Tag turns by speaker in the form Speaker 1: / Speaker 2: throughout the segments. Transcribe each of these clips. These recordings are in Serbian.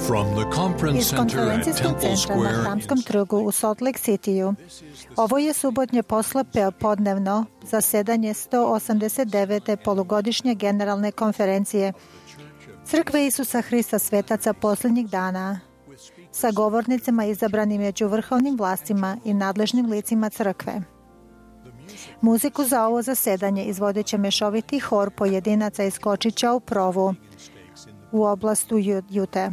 Speaker 1: From the conference
Speaker 2: Iz
Speaker 1: center at
Speaker 2: konferencijskog
Speaker 1: Temple
Speaker 2: centra na
Speaker 1: Square,
Speaker 2: Hramskom trgu u Salt Lake Cityu. Ovo je subotnje poslijepodnevno zasedanje 189. polugodišnje generalne konferencije Crkve Isusa Hrista svetaca posljednjih dana sa govornicima izabranim među vrhovnim vlastima i nadležnim licima crkve. Muziku za ovo zasedanje izvodit će mešoviti hor pojedinaca iz Kočića u Provu u oblastu Jute.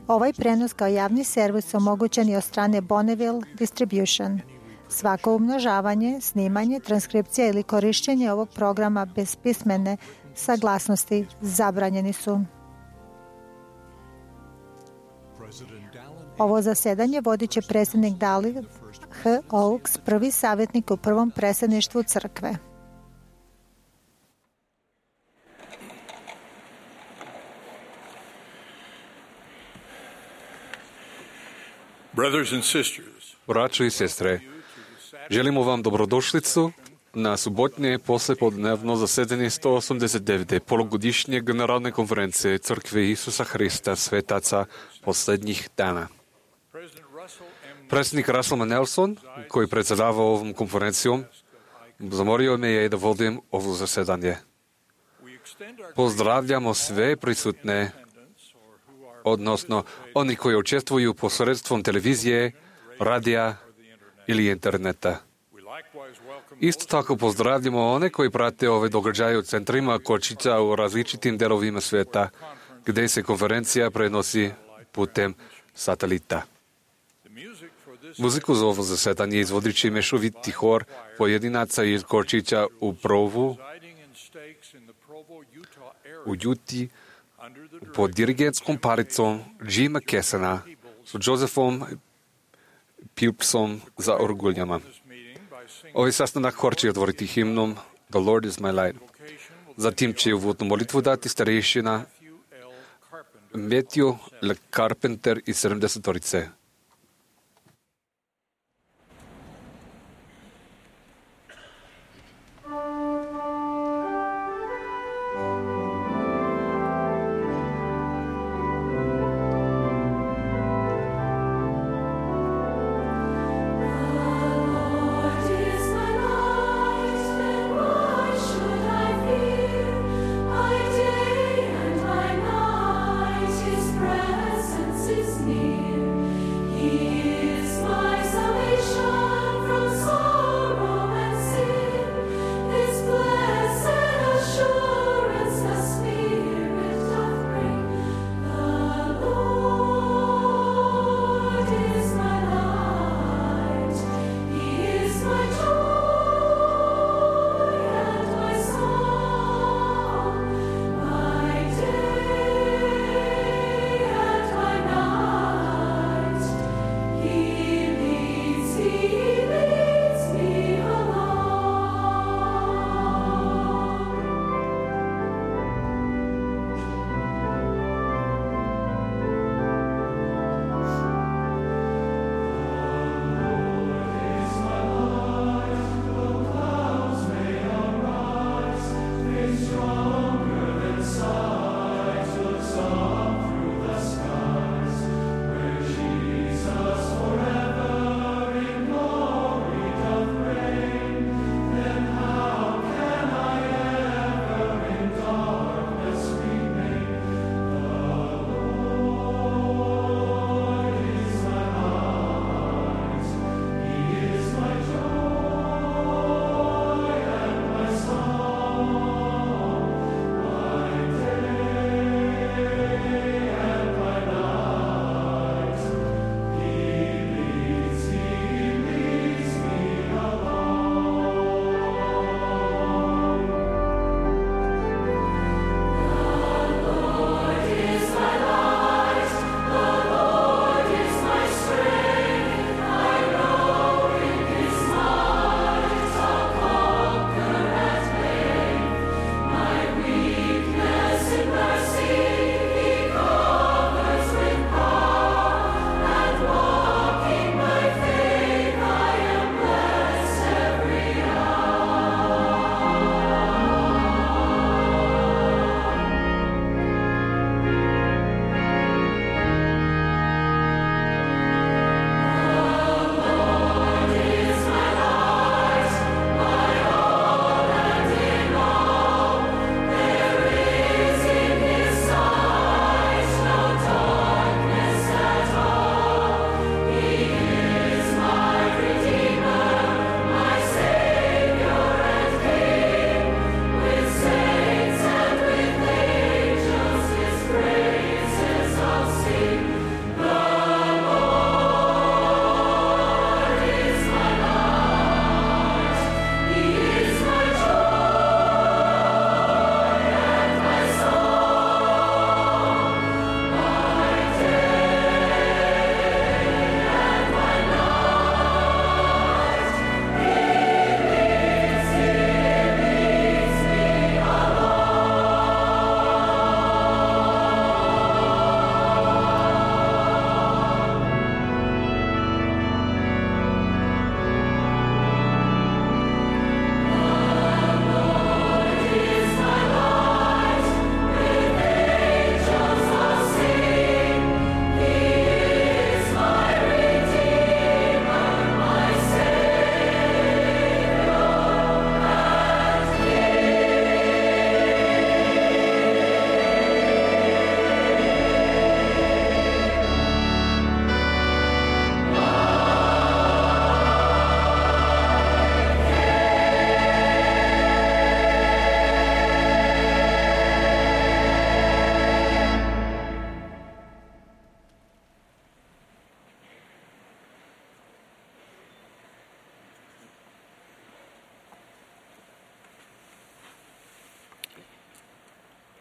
Speaker 2: Ovaj prenos kao javni servis omogućen je od strane Bonneville Distribution. Svako umnožavanje, snimanje, transkripcija ili korištenje ovog programa bez pismene saglasnosti zabranjeni su. Ovo zasedanje vodit će predsjednik Dallin H. Oaks, prvi savjetnik u prvom predsjedništvu crkve.
Speaker 3: Braćo i sestre, želimo vam dobrodošlicu na subotnje poslijepodnevno zasedanje 189. polugodišnje generalne konferencije Crkve Isusa Hrista svetaca posljednjih dana. Predsjednik Russell M. Nelson, koji predsjedava ovom konferencijom, zamorio me je da vodim ovo zasedanje. Pozdravljamo sve prisutne, odnosno oni koji učestvuju posredstvom televizije, radija ili interneta. Isto tako pozdravljamo one koji prate ove događaje u centrima Kočića u različitim delovima svijeta, gdje se konferencija prenosi putem satelita. Muziku za ovo zasedanje izvodit će mešoviti hor pojedinaca iz Kočića u Provu, u Juti, pod dirigentskom paricom Jima Kessena s Josephom Pilpsom za orguljama. Ovaj sastanak hor će otvoriti himnom The Lord is my light. Zatim će uvodnu molitvu dati starešina Matthew L. Carpenter iz 70-torice.
Speaker 4: His presence is near.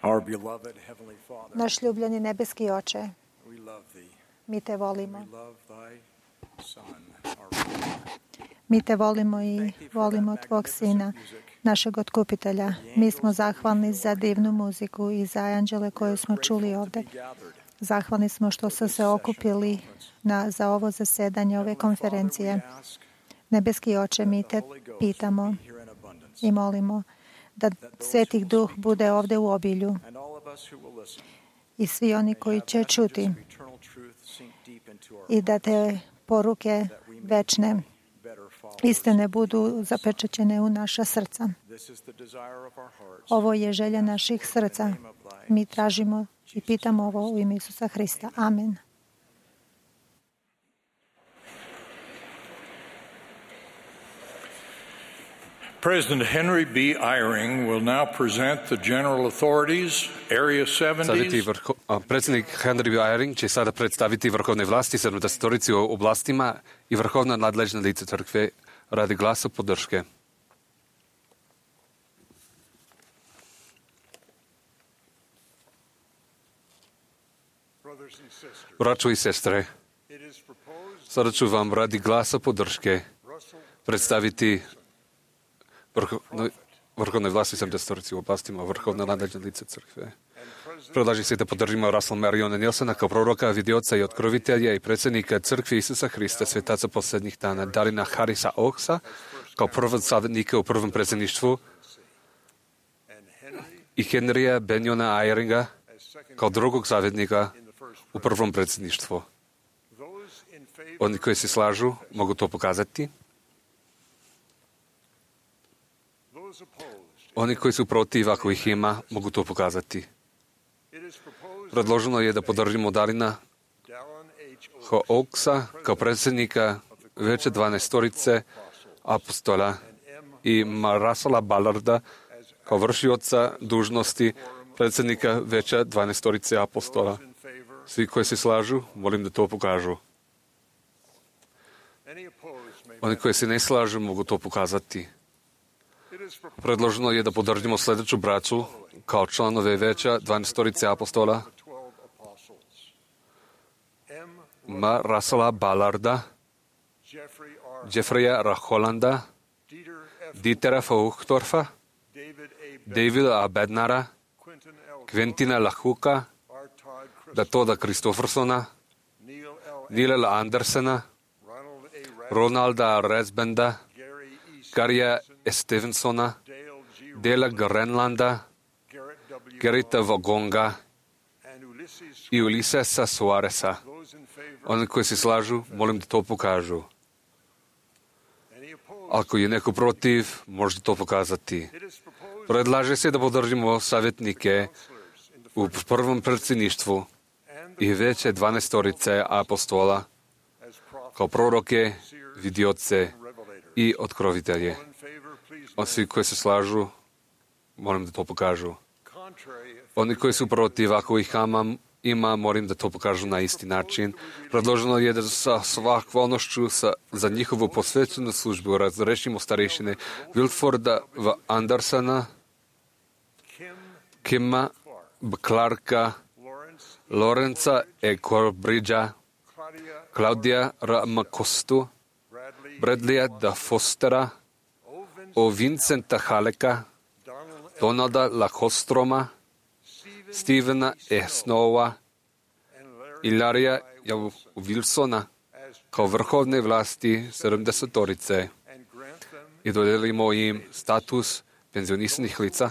Speaker 1: Our beloved Heavenly Father,
Speaker 2: Naš ljubljeni nebeski Oče,
Speaker 1: we love Thee.
Speaker 2: mi te volimo.
Speaker 1: We love Thy Son, our Redeemer.
Speaker 2: Mi te volimo i volimo Tvog Sina, našeg Otkupitelja. Mi smo zahvalni za divnu muziku i za anđele koje smo čuli ovde. Zahvalni smo što su se okupili za ovo zasedanje, ove konferencije. Nebeski Oče, mi te pitamo i molimo da Svetih Duh bude ovde u obilju i svi oni koji će čuti i da te poruke večne istine budu zapečaćene u naša srca. Ovo je želja naših srca. Mi tražimo i pitamo ovo u ime Isusa Hrista. Amen.
Speaker 4: President Henry B. Eyring will now present the general authorities, Area 70s.
Speaker 3: Predsjednik Henry B. Eyring će sada predstaviti vrhovne vlasti 70 u oblastima i vrhovna nadležna lica crkve radi glasa podrške. Braćo i sestre, sada ću vam radi glasa podrške predstaviti vrhovne vlasti 70 u oblastima vrhovna nadležna lica crkve. Predlaži se da podržimo Russell Mariona Nilsona kao proroka, vidioca i otkrovitelja i predsjednika crkve Isusa Hrista, svetaca posljednjih dana, Darina Harrisa Oaksa kao prvog savjetnika u prvom predsjedništvu i Henrya Benjona Eyringa kao drugog savjetnika u prvom predsjedništvu. Oni koji se slažu mogu to pokazati. Oni koji su protiv, ako ih ima, mogu to pokazati. Predloženo je da podržimo Darina H. Oaksa kao predsjednika veće 12 apostola i Russella Ballarda kao vršioca dužnosti predsjednika veća 12 apostola. Svi koji se slažu, molim da to pokažu. Oni koji se ne slažu, mogu to pokazati. Predloženo je da podržimo sljedeću braću kao članove veća 12 apostola. Russella Ballarda, Jeffreya R. Hollanda, Dietera Fauchtorfa, Davida A. Bednara, Quentina LaHuka, Toda Christoffersona, Neil L. Andersona, Ronalda Resbenda, Garya Stevensona, Dela Grenlanda, Gerita Vagonga i Ulisesa Suareza. Oni koji se slažu, molim da to pokažu. Ako je neko protiv, možete to pokazati. Predlaže se da podržimo savjetnike u prvom predsjedništvu i veće 12 apostola kao proroke, vidioce i otkrovitelje. Svi koji se slažu, molim da to pokažu. Oni koji su protiv, ako ih ima, molim da to pokažu na isti način. Predloženo je da sa svakvalnošću za njihovu posvećenu službu razrešimo starešine Wilforda V. Andersona, Kima B. Clarka, Lorenza E. Corbridgea, Claudia R. McCostu, Bradleya D. Fostera, O. Vincenta Haleka, Donalda Lacostroma, Stevena E. Snowa i Larrya Wilsona kao vrhovne vlasti 70 i dodijelimo im status penzionisanih lica.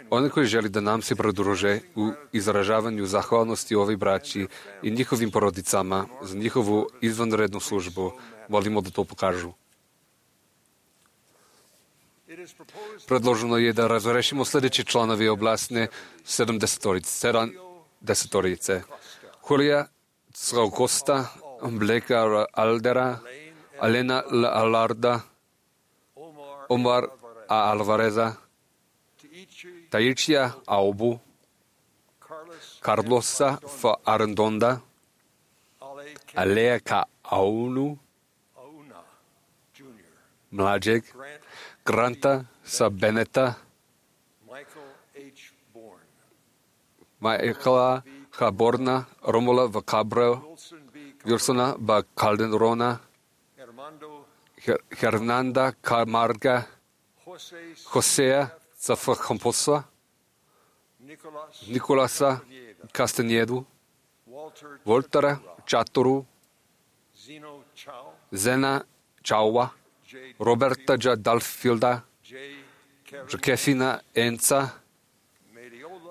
Speaker 3: Oni koji želi da nam se pridruže u izražavanju zahvalnosti ovoj braći i njihovim porodicama za njihovu izvanrednu službu, molimo da to pokažu. Predloženo je da razrešimo sljedeći članovi oblasne 70. Julija Costa, Bleka Aldera, Alena L. Alarda, Omar A. Alvareza, Taichia Aubu, Carlosa F. Arendonda, Alea K. Aunu, mlađeg, Granta sa Beneta, Michaela H. Borna, Romula V. Cabral, Wilsona B. Calderona, Hernanda Camarga, Josea C. Camposa, Nicolasa Castanedu, Voltera Chaturu, Zena Chaua, Roberta J. Dalfilda, Josefina Enza,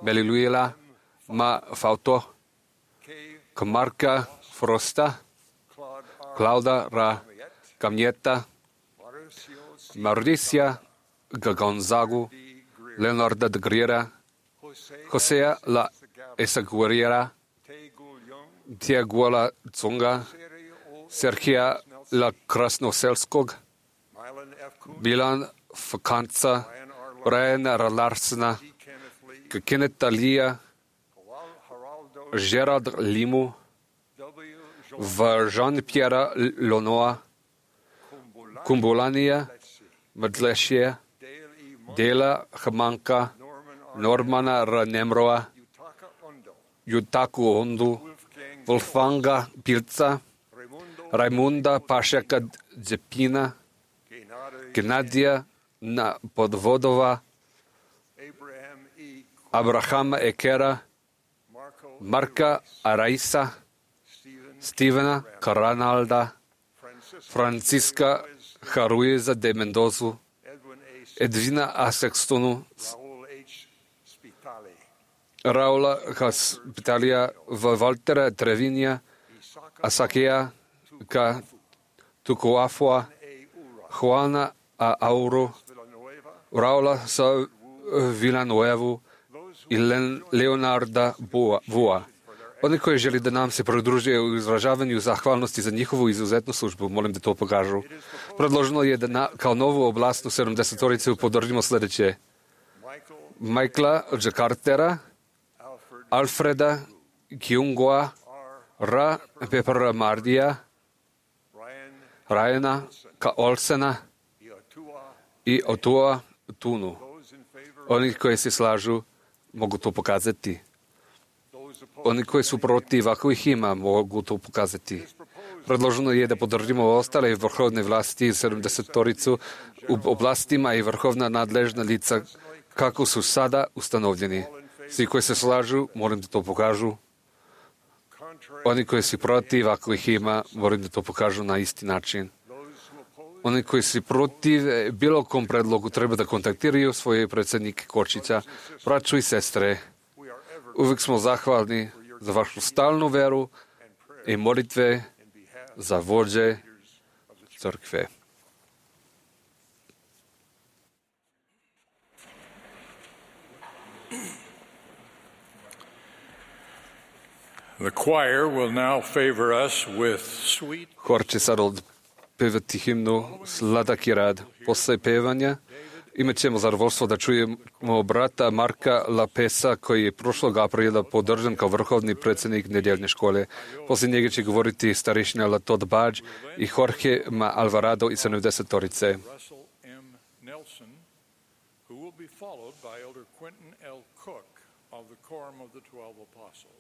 Speaker 3: Meliluila Ma Fauto, Camarca Frosta, Clauda Ra Camieta, Mauricia Gonzagu, Leonardo de Griera, Josea La Esaguerriera, Tiaguola Zunga, Serhia La Krasnoselskog, Milan Fakanca, Brian Larsena, Kenneth Lia, Gerard Limu, Jean-Pierre Lonoa, Kumbulania, Madleshia, Dela Hamanka, Normana Ranemroa, Yutaku Ondu, Wolfanga Pilca, Raimunda Pašeka Dzepina, Genadia Podvodova, Abrahama Ekera, Marka Araisa, Stevena Caranalda, Francisca Jaruiza de Mendozu, Edwina Asextonu, Raula Hospitalia, Valtera Trevinia, Asakea Ka Tukuafua, Juana Auro, Raula Sa Villanuevu i Leonarda Vua. Oni koji želi da nam se pridruže u izražavanju zahvalnosti za njihovu izuzetnu službu, molim da to pokažu. Predloženo je da kao novu oblastnu 70-toricu podržimo sljedeće: Michaela J. Cartera, Alfreda Kiungoa, Ra Pepper Mardija, Ryana K. Olsena i Otua Tunu. Oni koji se slažu mogu to pokazati. Oni koji su protiv, ako ih ima, mogu to pokazati. Predloženo je da podržimo ostale vrhovne vlasti 70-toricu u oblastima i vrhovna nadležna lica kako su sada ustanovljeni. Svi koji se slažu, molim da to pokažu. Oni koji su protiv, ako ih ima, molim da to pokažu na isti način. Oni koji su protiv bilo kom predlogu treba da kontaktiraju svoje predsjednike Kočića, braću i sestre. Uvijek smo zahvalni za vašu stalnu veru i molitve za vođe crkve.
Speaker 4: The choir will now favor us with sweet.
Speaker 3: Hor će sad pevati himnu Sladak i rad. Posle pevanja imat ćemo zadovoljstvo da čujemo brata Marka Lapesa, koji je prošlog aprila podržan kao vrhovni predsjednik nedjeljne škole. Poslije njega će govoriti starešina Latod Badž i Jorge Ma Alvarado iz 70-torice.
Speaker 4: Russell M. Nelson, who will be followed by Elder Quentin L. Cook of the Quorum of the 12 Apostles.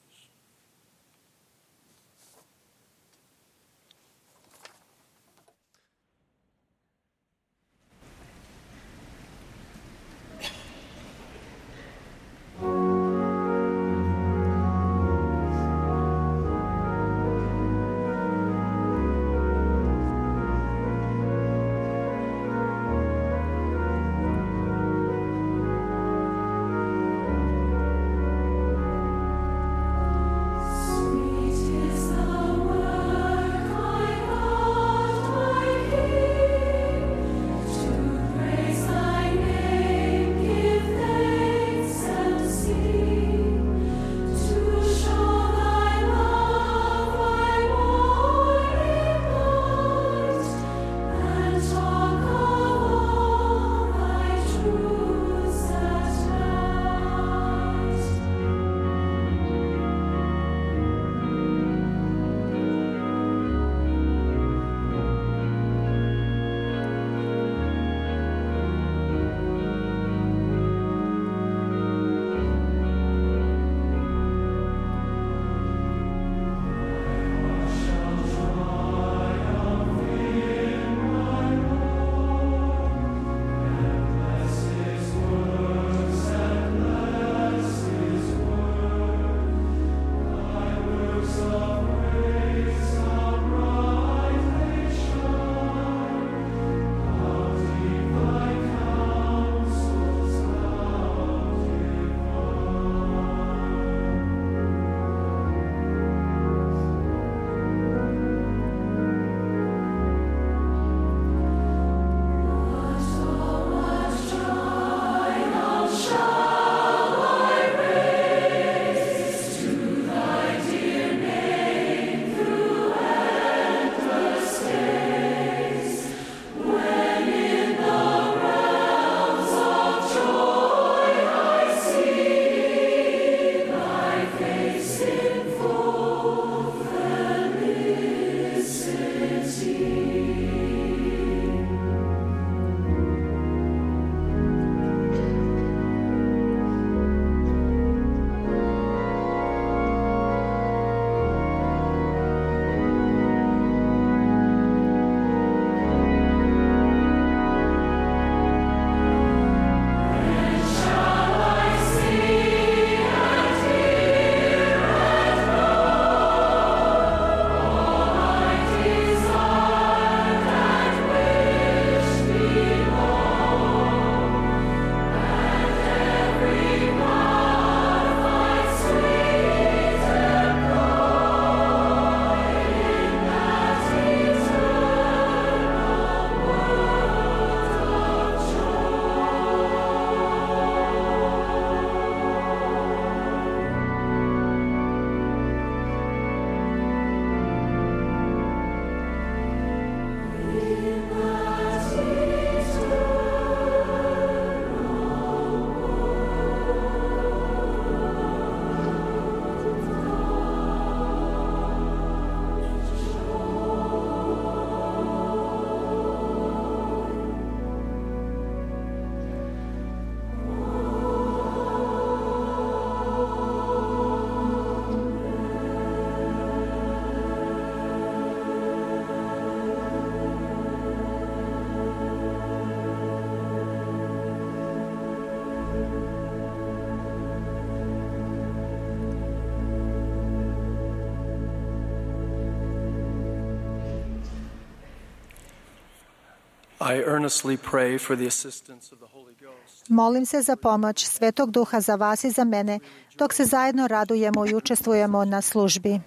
Speaker 5: I earnestly pray for the assistance of the Holy Ghost.
Speaker 2: Molim se za pomoć Svetog Duha za vas i za mene, dok se zajedno radujemo i učestvujemo na službi.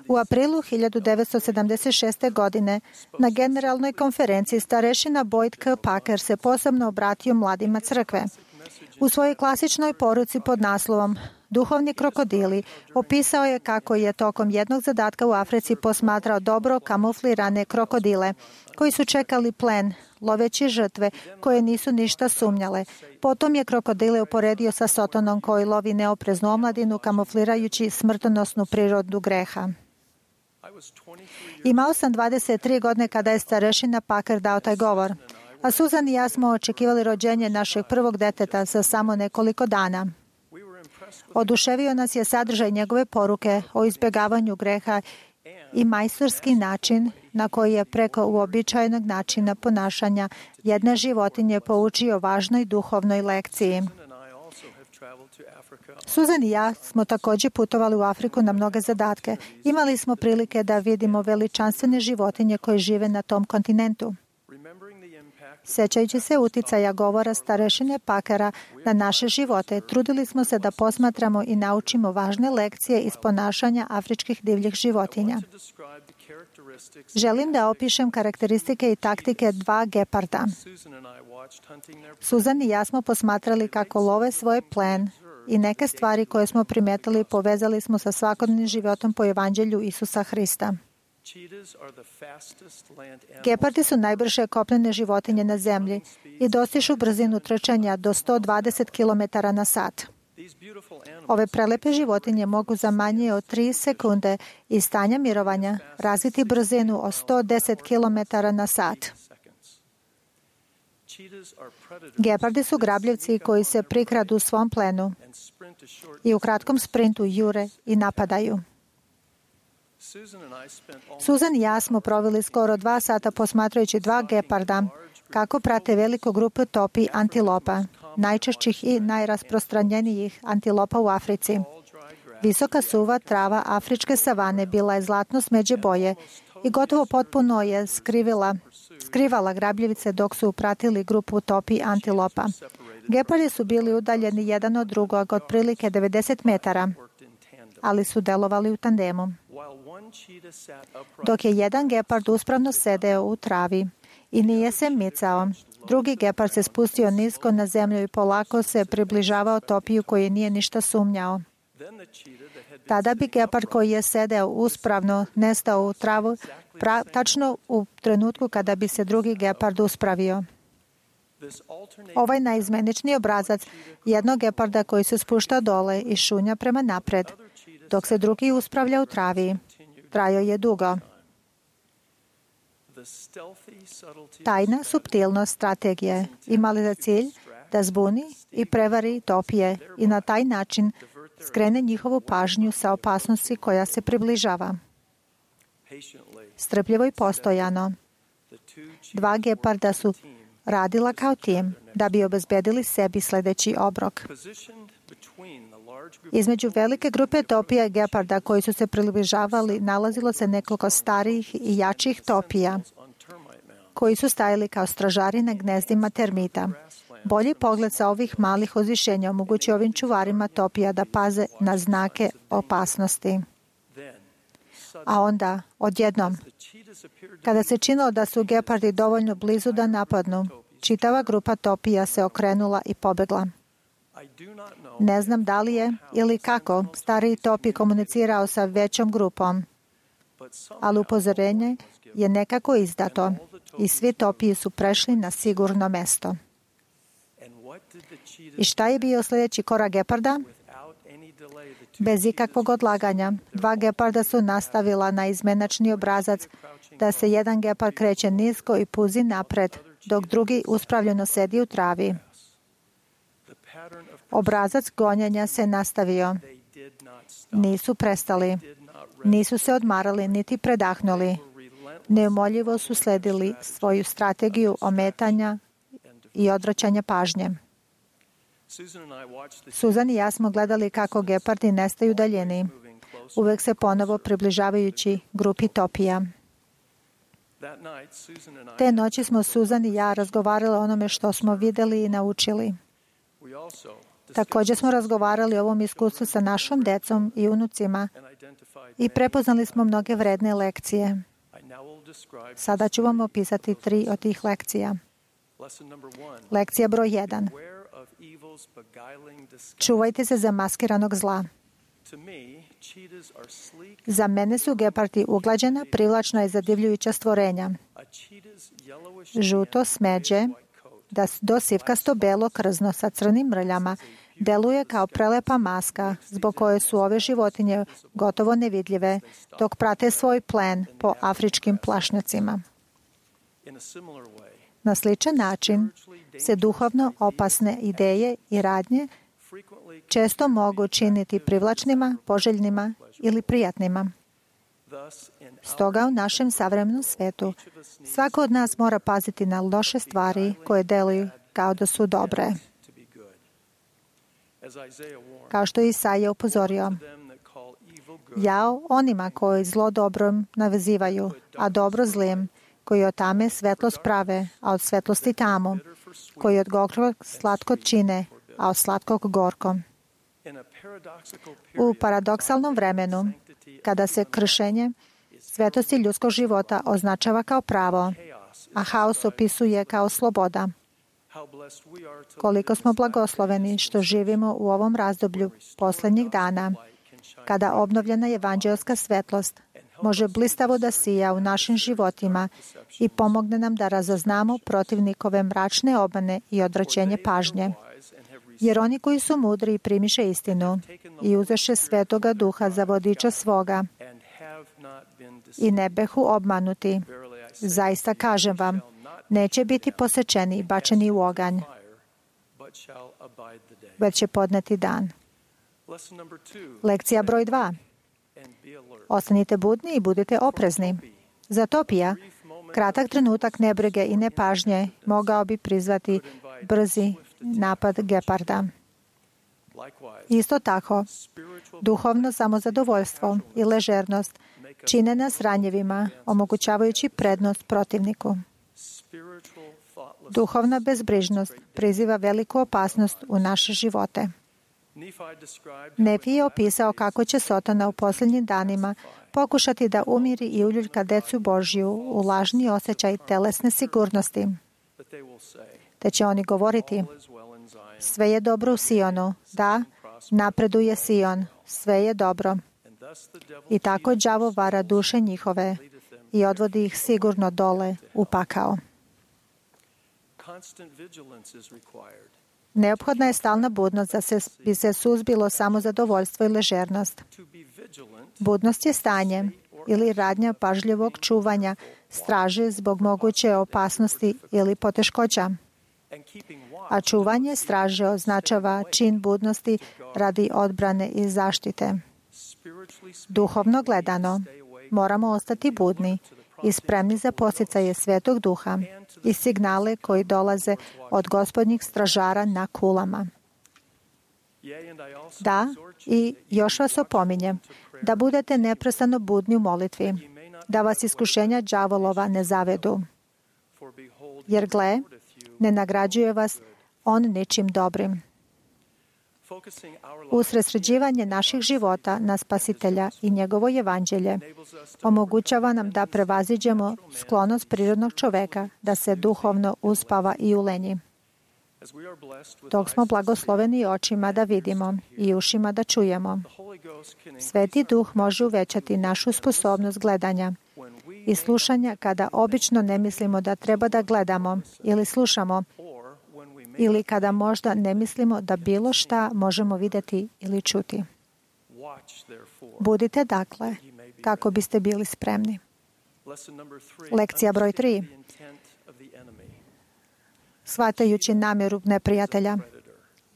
Speaker 2: U aprilu 1976. godine na generalnoj konferenciji starešina Boyd K. Packer se posebno obratio mladima crkve. U svojoj klasičnoj poruci pod naslovom Duhovni krokodili opisao je kako je tokom jednog zadatka u Africi posmatrao dobro kamuflirane krokodile koji su čekali plen, loveći žrtve koje nisu ništa sumnjale. Potom je krokodile uporedio sa Sotonom koji lovi neopreznu omladinu kamuflirajući smrtonosnu prirodu greha. Imao sam 23 godine kada je starešina Packer dao taj govor, a Susan i ja smo očekivali rođenje našeg prvog deteta za samo nekoliko dana. Oduševio nas je sadržaj njegove poruke o izbjegavanju greha i majstorski način na koji je preko uobičajenog načina ponašanja jedne životinje poučio važnoj duhovnoj lekciji. Susan i ja smo također putovali u Afriku na mnoge zadatke. Imali smo prilike da vidimo veličanstvene životinje koje žive na tom kontinentu. Sjećajući se uticaja govora starešine Packera na naše živote, trudili smo se da posmatramo i naučimo važne lekcije iz ponašanja afričkih divljih životinja. Želim da opišem karakteristike i taktike dva geparda. Susan i ja smo posmatrali kako love svoj plen i neke stvari koje smo primetili povezali smo sa svakodnevnim životom po evanđelju Isusa Hrista. Gepardi su najbrže kopnene životinje na zemlji i dostižu brzinu trčanja do 120 km na sat. Ove prelepe životinje mogu za manje od 3 sekunde iz stanja mirovanja razviti brzinu od 110 km na sat. Gepardi su grabljivci koji se prikradu u svom plenu i u kratkom sprintu jure i napadaju. Susan i ja smo proveli skoro 2 sata posmatrajući dva geparda kako prate veliku grupu topi antilopa, najčešćih i najrasprostranjenijih antilopa u Africi. Visoka suva trava afričke savane bila je zlatno smeđe boje i gotovo potpuno je skrivala grabljivice dok su pratili grupu topi antilopa. Gepardi su bili udaljeni jedan od drugog otprilike 90 metara, ali su delovali u tandemu. Dok je jedan gepard uspravno sedeo u travi i nije se micao, drugi gepard se spustio nisko na zemlju i polako se približavao topiju koji nije ništa sumnjao. Tada bi gepard koji je sedeo uspravno nestao u travu tačno u trenutku kada bi se drugi gepard uspravio. Ovaj naizmenični obrazac jednog geparda koji se spušta dole i šunja prema napred, dok se drugi uspravlja u travi, trajao je dugo. Tajna suptilnost strategije imala za cilj da zbuni i prevari topije i na taj način skrene njihovu pažnju sa opasnosti koja se približava. Strpljivo i postojano, dva geparda su radila kao tim da bi obezbedili sebi sljedeći obrok. Između velike grupe topija i geparda koji su se približavali nalazilo se nekoliko starijih i jačih topija koji su stajali kao stražari na gnezdima termita. Bolji pogled sa ovih malih uzvišenja omogućuje ovim čuvarima topija da paze na znake opasnosti. A onda, odjednom, kada se činilo da su gepardi dovoljno blizu da napadnu, čitava grupa topija se okrenula i pobegla. Ne znam da li je ili kako stariji topi komunicirao sa većom grupom, ali upozorenje je nekako izdato i svi topiji su prešli na sigurno mesto. I šta je bio sljedeći korak geparda? Bez ikakvog odlaganja, dva geparda su nastavila na izmenačni obrazac da se jedan gepard kreće nisko i puzi napred, dok drugi uspravljeno sedi u travi. Obrazac gonjenja se nastavio. Nisu prestali. Nisu se odmarali niti predahnuli. Neumoljivo su sledili svoju strategiju ometanja i odvraćanja pažnje. Susan i ja smo gledali kako gepardi nestaju daljini, uvek se ponovo približavajući grupi topija. Te noći smo Suzan i ja razgovarali o onome što smo vidjeli i naučili. Također smo razgovarali o ovom iskustvu sa našom decom i unucima i prepoznali smo mnoge vredne lekcije. Sada ću vam opisati 3 od tih lekcija. Lekcija broj 1. Čuvajte se zamaskiranog zla. Za mene su gepardi uglađena, privlačna i zadivljujuća stvorenja. Žuto smeđe, do sivkasto belo krzno sa crnim mrljama, deluje kao prelepa maska zbog koje su ove životinje gotovo nevidljive dok prate svoj plen po afričkim plašnjacima. Na sličan način se duhovno opasne ideje i radnje često mogu činiti privlačnima, poželjnima ili prijatnima. Stoga u našem savremenom svetu svako od nas mora paziti na loše stvari koje deluju kao da su dobre. Kao što je Isaija upozorio, jao onima koji zlo dobrom nazivaju, a dobro zlim, koji od tame svetlost prave, a od svetlosti tamu, koji od gorkog slatko čine, a od slatkog gorko. U paradoksalnom vremenu, kada se kršenje svetosti ljudskog života označava kao pravo, a haos opisuje kao sloboda, koliko smo blagosloveni što živimo u ovom razdoblju posljednjih dana, kada obnovljena evanđelska svetlost može blistavo da sija u našim životima i pomogne nam da razaznamo protivnikove mračne obmane i odvraćenje pažnje. Jer oni koji su mudri primiše istinu i uzeše Svetoga Duha za vodiča svoga i ne behu obmanuti. Zaista kažem vam, neće biti posečeni i bačeni u oganj, već će podneti dan. Lekcija broj 2. Ostanite budni i budite oprezni. Za Topija, kratak trenutak nebrige i nepažnje mogao bi prizvati brzi napad geparda. Isto tako, duhovno samozadovoljstvo i ležernost čine nas ranjivima, omogućavajući prednost protivniku. Duhovna bezbrižnost priziva veliku opasnost u naše živote. Nefi je opisao kako će Sotona u posljednjim danima pokušati da umiri i uljuljka decu Božju u lažni osjećaj telesne sigurnosti. Te će oni govoriti, sve je dobro u Sionu, da, napreduje Sion, sve je dobro. I tako đavo vara duše njihove i odvodi ih sigurno dole u pakao. Neophodna je stalna budnost da bi se suzbilo samozadovoljstvo i ležernost. Budnost je stanje ili radnja pažljivog čuvanja straže zbog moguće opasnosti ili poteškoća. A čuvanje straže označava čin budnosti radi odbrane i zaštite. Duhovno gledano, moramo ostati budni i spremni za posticaje Svetog Duha i signale koji dolaze od Gospodnjih stražara na kulama. Da, i još vas opominjem, da budete neprestano budni u molitvi, da vas iskušenja đavolova ne zavedu. Jer gle, ne nagrađuje vas on ničim dobrim. Usredsređivanje naših života na Spasitelja i njegovo evanđelje omogućava nam da prevaziđemo sklonost prirodnog čoveka da se duhovno uspava i ulenji. Dok smo blagosloveni očima da vidimo i ušima da čujemo, Sveti Duh može uvećati našu sposobnost gledanja i slušanja kada obično ne mislimo da treba da gledamo ili slušamo, ili kada možda ne mislimo da bilo šta možemo vidjeti ili čuti. Budite dakle, kako biste bili spremni. Lekcija broj 3. Shvatajući namjeru neprijatelja.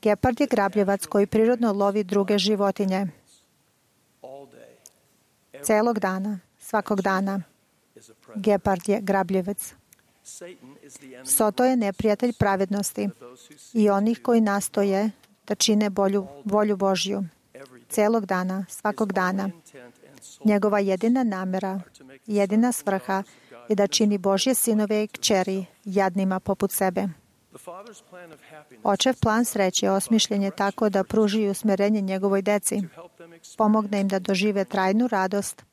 Speaker 2: Gepard je grabljivac koji prirodno lovi druge životinje. Celog dana, svakog dana. Gepard je grabljivac. Soto je neprijatelj pravednosti i onih koji nastoje da čine volju Božju. Celog dana, svakog dana. Njegova jedina namjera, jedina svrha i da čini Božje sinove i kćeri jadnima poput sebe. Očev plan sreće osmišljen je tako da pruži usmjerenje njegovoj deci, pomogne im da dožive trajnu radost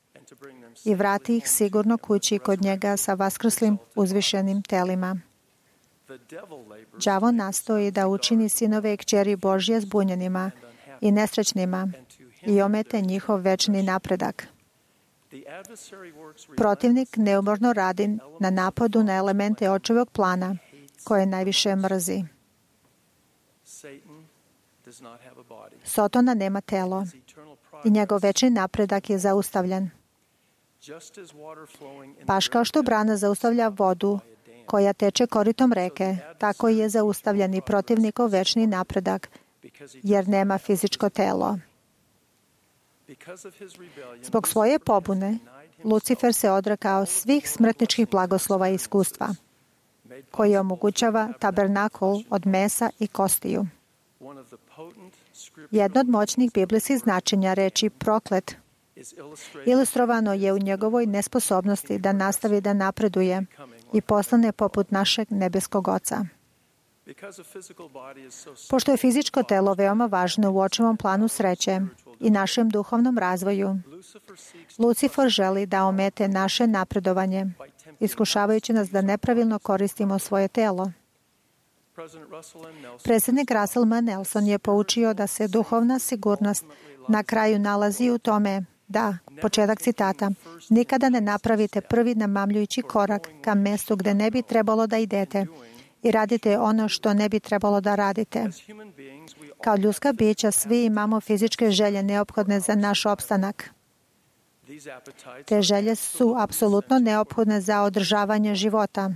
Speaker 2: i vrati ih sigurno kući kod njega sa vaskrslim uzvišenim telima. Đavo nastoji da učini sinove i kćeri Božje zbunjenima i nesrećnima i omete njihov večni napredak. Protivnik neumorno radi na napadu na elemente očevog plana, koje najviše mrzi. Sotona nema telo i njegov večni napredak je zaustavljen. Baš kao što brana zaustavlja vodu koja teče koritom reke, tako je zaustavljen i protivnikov večni napredak, jer nema fizičko telo. Zbog svoje pobune, Lucifer se odrekao svih smrtničkih blagoslova i iskustva, koji omogućava tabernakul od mesa i kostiju. Jedno od moćnih biblijskih značenja reči proklet ilustrovano je u njegovoj nesposobnosti da nastavi da napreduje i postane poput našeg nebeskog Oca. Pošto je fizičko telo veoma važno u očevom planu sreće i našem duhovnom razvoju, Lucifer želi da omete naše napredovanje, iskušavajući nas da nepravilno koristimo svoje telo. Predsjednik Russell M. Nelson je poučio da se duhovna sigurnost na kraju nalazi u tome da, početak citata, nikada ne napravite prvi namamljujući korak ka mjestu gdje ne bi trebalo da idete i radite ono što ne bi trebalo da radite. Kao ljudska bića svi imamo fizičke želje neophodne za naš opstanak. Te želje su apsolutno neophodne za održavanje života.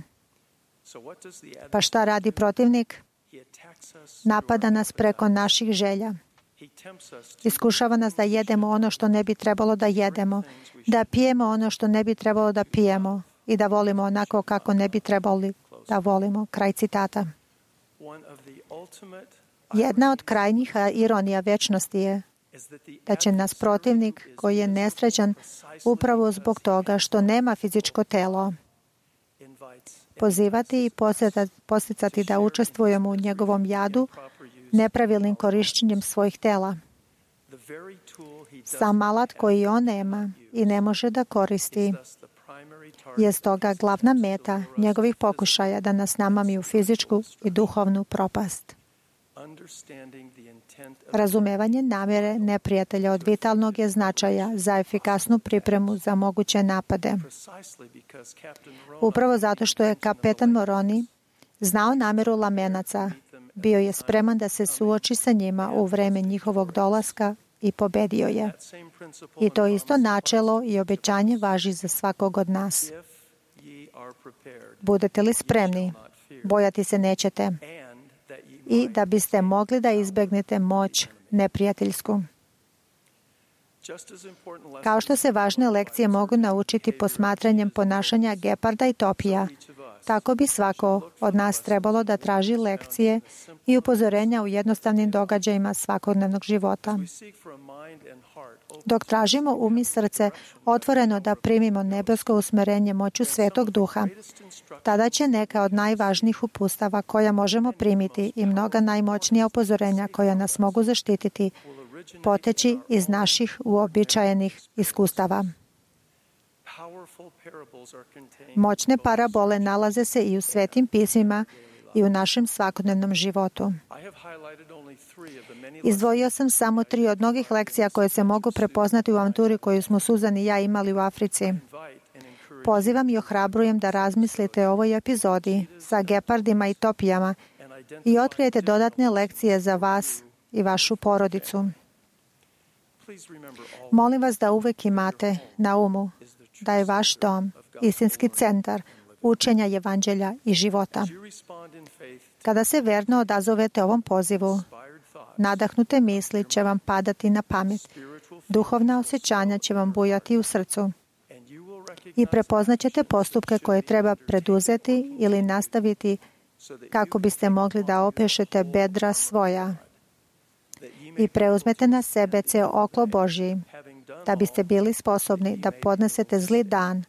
Speaker 2: Pa šta radi protivnik? Napada nas preko naših želja. Iskušava nas da jedemo ono što ne bi trebalo da jedemo, da pijemo ono što ne bi trebalo da pijemo i da volimo onako kako ne bi trebali da volimo. Kraj citata. Jedna od krajnjih ironija večnosti je da će nas protivnik, koji je nesrećan upravo zbog toga što nema fizičko telo, pozivati i posticati da učestvujemo u njegovom jadu nepravilnim korišćenjem svojih tela. Sam alat koji on nema i ne može da koristi je stoga glavna meta njegovih pokušaja da nas namami u fizičku i duhovnu propast. Razumevanje namjere neprijatelja od vitalnog je značaja za efikasnu pripremu za moguće napade. Upravo zato što je kapetan Moroni znao namjeru Lamenaca, bio je spreman da se suoči sa njima u vreme njihovog dolaska i pobedio je. I to isto načelo i obećanje važi za svakog od nas. Budete li spremni, bojati se nećete, i da biste mogli da izbegnete moć neprijateljsku. Kao što se važne lekcije mogu naučiti posmatranjem ponašanja geparda i topija, tako bi svako od nas trebalo da traži lekcije i upozorenja u jednostavnim događajima svakodnevnog života. Dok tražimo um i srce otvoreno da primimo nebesko usmerenje moću Svetog Duha, tada će neka od najvažnijih upustava koja možemo primiti i mnoga najmoćnija upozorenja koja nas mogu zaštititi poteći iz naših uobičajenih iskustava. Moćne parabole nalaze se i u Svetim pismima i u našem svakodnevnom životu. Izdvojio sam samo 3 od mnogih lekcija koje se mogu prepoznati u avanturi koju smo Suzan i ja imali u Africi. Pozivam i ohrabrujem da razmislite o ovoj epizodi sa gepardima i topijama i otkrijete dodatne lekcije za vas i vašu porodicu. Molim vas da uvek imate na umu da je vaš dom istinski centar učenja evanđelja i života. Kada se verno odazovete ovom pozivu, nadahnute misli će vam padati na pamet, duhovna osjećanja će vam bujati u srcu i prepoznaćete postupke koje treba preduzeti ili nastaviti kako biste mogli da opešete bedra svoja i preuzmete na sebe ceo oklop Božji, da biste bili sposobni da podnesete zli dan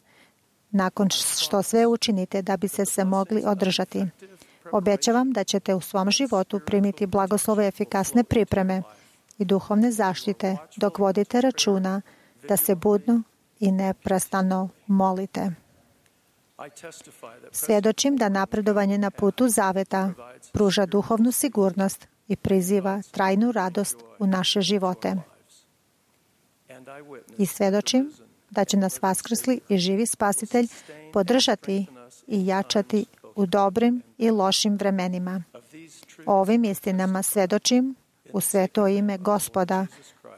Speaker 2: nakon što sve učinite da bi se mogli održati. Obećavam da ćete u svom životu primiti blagoslove efikasne pripreme i duhovne zaštite dok vodite računa da se budno i neprestano molite. Svjedočim da napredovanje na putu zaveta pruža duhovnu sigurnost i priziva trajnu radost u naše živote. I svjedočim da će nas vaskrsli i živi Spasitelj podržati i jačati u dobrim i lošim vremenima. O ovim istinama svjedočim u sveto ime Gospoda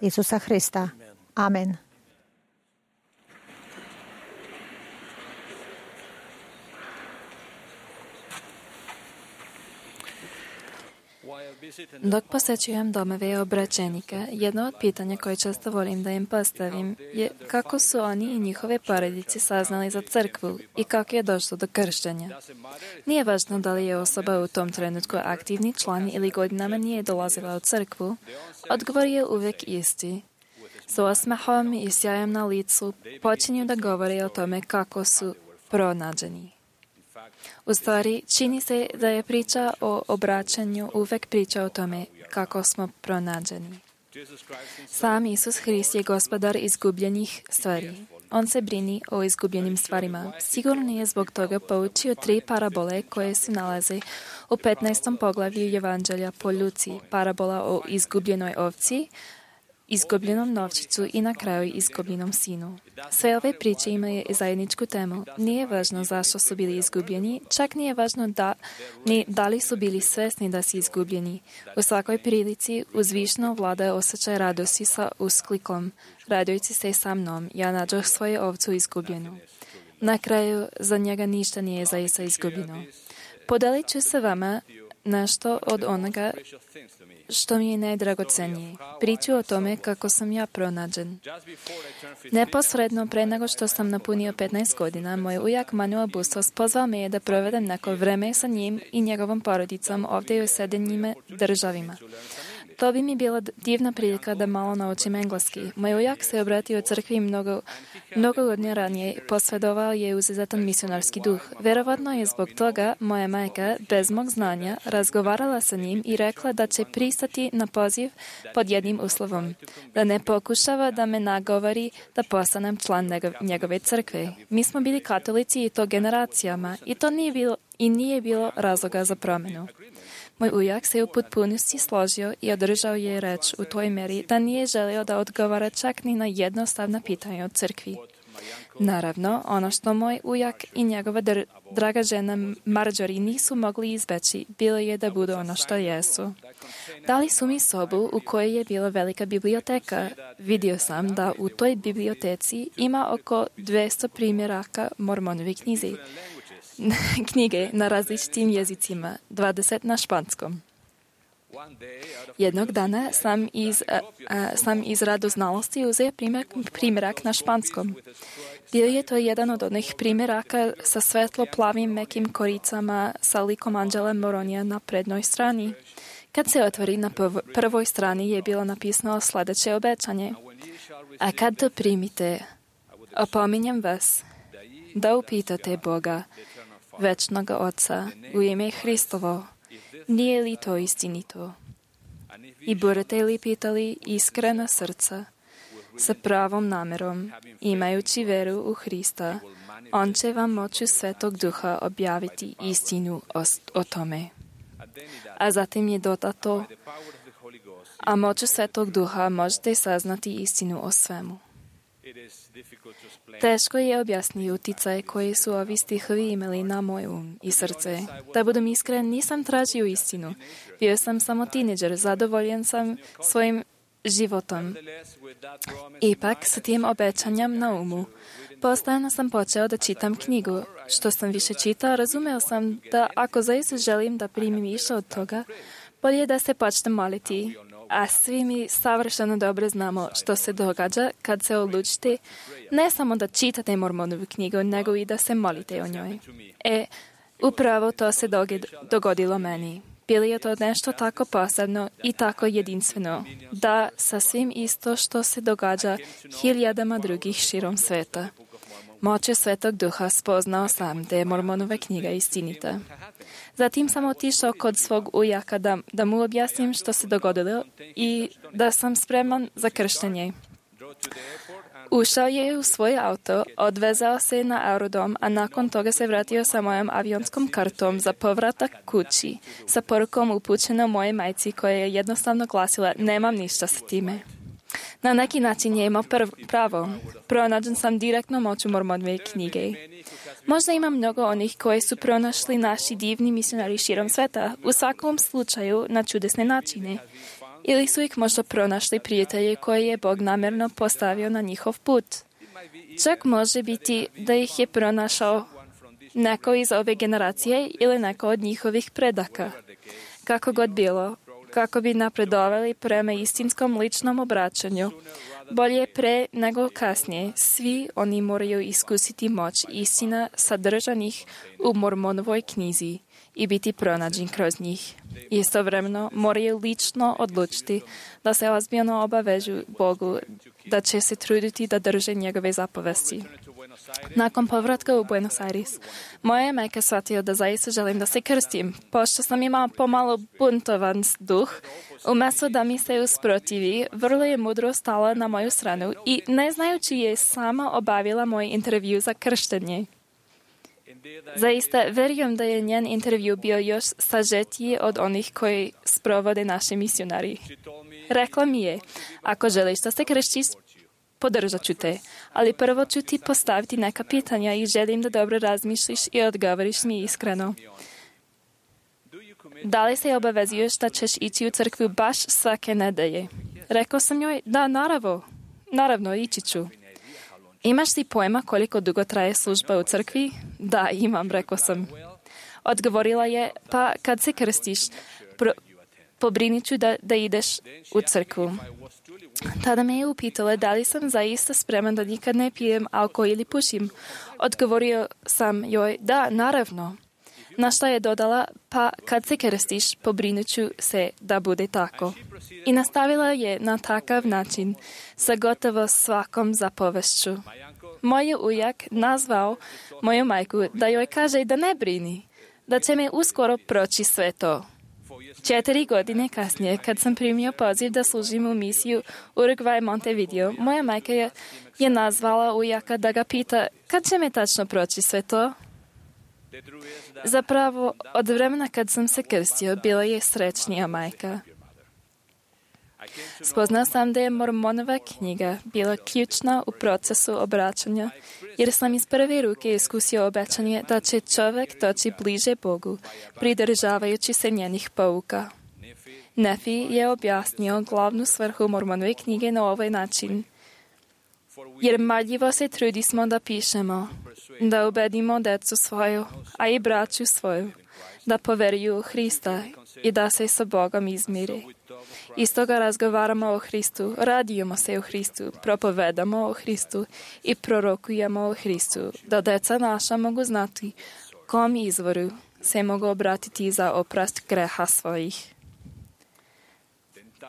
Speaker 2: Isusa Hrista. Amen.
Speaker 6: Dok posjećujem domove obraćenika, jedno od pitanja koje često volim da im postavim je kako su oni i njihove porodice saznali za crkvu i kako je došlo do krštenja. Nije važno da li je osoba u tom trenutku aktivni član ili godinama nije dolazila u crkvu, odgovor je uvijek isti. S osmehom i sjajem na licu počinju da govore o tome kako su pronađeni. U stvari, čini se da je priča o obraćanju uvek priča o tome kako smo pronađeni. Sam Isus Hrist je gospodar izgubljenih stvari. On se brini o izgubljenim stvarima. Sigurno je zbog toga poučio 3 parabole koje se nalaze u 15. poglavlju Evanđelja po Luci. Parabola o izgubljenoj ovci, izgubljenom novčiću i na kraju izgubljenom sinu. Sve ove priče imaju zajedničku temu. Nije važno zašto su bili izgubljeni, čak nije važno da li su bili svesni da su izgubljeni. U svakoj prilici uzvišno vlada osjećaj radosti sa usklikom: radujući se sa mnom, ja nađoh svoju ovcu izgubljenu. Na kraju za njega ništa nije zaista izgubljeno. Podelit ću se vama nešto od onoga što mi je najdragocenije. Priču o tome kako sam ja pronađen. Neposredno pre nego što sam napunio 15 godina, moj ujak Manuel Bustos pozvao me je da provedem neko vreme sa njim i njegovom porodicom ovdje u Sjedinjenim Državama. To bi mi bila divna prilika da malo naučim engleski. Moj ujak se obratio crkvi mnogo godina ranije, posvedovao je izuzetan misionarski duh. Verovatno je zbog toga moja majka, bez mog znanja, razgovarala sa njim i rekla da će pristati na poziv pod jednim uslovom: da ne pokušava da me nagovori da postanem član njegove crkve. Mi smo bili katolici i to generacijama i to nije bilo razloga za promjenu. Moj ujak se u potpunosti složio i održao je reč u toj meri da nije želio da odgovara čak ni na jednostavna pitanja o crkvi. Naravno, ono što moj ujak i njegova draga žena Marjorie nisu mogli izbeći, bilo je da budu ono što jesu. Dali su mi sobu u kojoj je bila velika biblioteka. Vidio sam da u toj biblioteci ima oko 200 primjeraka Mormonovi knjige na različitim jezicima, 20 na španskom. Jednog dana sam iz radoznalosti uzeo primjerak na španskom. Bio je to jedan od onih primjeraka sa svetlo-plavim mekim koricama sa likom Anđela Moronija na prednjoj strani. Kad se otvori, na prvoj strani je bilo napisano sljedeće obećanje: a kad to primite, opominjem vas da upitate Boga, večnog Oca, u ime Hristovo, nije li to istinito? I budete li pitali iskrena srca, sa pravom namerom, imajući veru u Hrista, on će vam moću Svetog Duha objaviti istinu o tome. A zatim je dodato: a moću Svetog Duha možete saznati istinu o svemu. Teško je objasniti uticaj koji su ovi stihovi imali na moj i srce. Da budem iskren, nisam tražio istinu. Bio sam samo tineđer, zadovoljen sam svojim životom. Ipak, sa tim obećanjem na umu, postajano sam počeo da čitam knjigu. Što sam više čitao, razumeo sam da ako zaista želim da primim više od toga, bolje da se počnem moliti. A svi mi savršeno dobro znamo što se događa kad se odlučite ne samo da čitate Mormonovu knjigu, nego i da se molite o njoj. Upravo to se dogodilo meni. Bilo je to nešto tako posebno i tako jedinstveno, da sasvim isto što se događa hiljadama drugih širom sveta. Moću Svetog Duha spoznao sam da je Mormonova knjiga istinita. Zatim sam otišao kod svog ujaka da mu objasnim što se dogodilo i da sam spreman za krštenje. Ušao je u svoj auto, odvezao se na aerodrom, a nakon toga se vratio sa mojom avionskom kartom za povratak kući, sa porukom upućenom moje majci koja je jednostavno glasila: nemam ništa sa time. Na neki način je imao pravo. Pronađen sam direktno moću Mormonove knjige. Možda ima mnogo onih koji su pronašli naši divni misionari širom sveta, u svakom slučaju na čudesne načine. Ili su ih možda pronašli prijatelji koje je Bog namjerno postavio na njihov put. Čak može biti da ih je pronašao neko iz ove generacije ili neko od njihovih predaka. Kako god bilo, kako bi napredovali prema istinskom ličnom obraćanju, bolje pre nego kasnije, svi oni moraju iskusiti moć istina sadržanih u Mormonovoj knjizi i biti pronađen kroz njih. Istovremeno moraju lično odlučiti da se ozbiljno obavežu Bogu, da će se truditi da drže njegove zapovesti. Nakon povratka u Buenos Aires, moja je majka shvatila da zaista želim da se krstim, pošto sam imala pomalo buntovan duh. Umjesto da mi se usprotivi, vrlo je mudro stala na moju stranu i ne znajući je sama obavila moj intervju za krštenje. Zaista verujem da je njen intervju bio još sažetiji od onih koji sprovode naši misionari. Rekla mi je: ako želiš da se krštiš, podržat ću te, ali prvo ću ti postaviti neka pitanja i želim da dobro razmišljiš i odgovoriš mi iskreno. Da li se obavezuješ da ćeš ići u crkvu baš svake nedelje? Rekao sam joj: da, naravno, ići ću. Imaš li pojma koliko dugo traje služba u crkvi? Da, imam, rekao sam. Odgovorila je: pa kad se krstiš, pobrinit ću da ideš u crkvu. Tada me je upitala da li sam zaista spreman da nikad ne pijem alkohol ili pušim. Odgovorio sam joj: da, naravno. Na što je dodala: pa kad se krstiš, pobrinut ću se da bude tako. I nastavila je na takav način sa gotovo svakom zapovešću. Moj ujak nazvao moju majku da joj kaže da ne brini, da će me uskoro proći sve to. 4 godine kasnije, kad sam primio poziv da služim u misiju Uruguay Montevideo, moja majka je nazvala ujaka da ga pita: kad će me tačno proći sve to? Zapravo, od vremena kad sam se krstio, bila je srećnija majka. Spoznao sam da je Mormonova knjiga bila ključna u procesu obraćanja, jer sam iz prve ruke iskusio obećanje da će čovjek doći bliže Bogu, pridržavajući se njenih pouka. Nefi je objasnio glavnu svrhu Mormonove knjige na ovaj način: jer marljivo se trudismo da pišemo, da ubedimo decu svoju, a i braću svoju, da poveruju u Hrista i da se sa Bogom izmire. Iz toga razgovaramo o Hristu, radujemo se o Hristu, propovedamo o Hristu i prorokujemo o Hristu, da deca naša mogu znati kom izvoru se mogu obratiti za oprost greha svojih.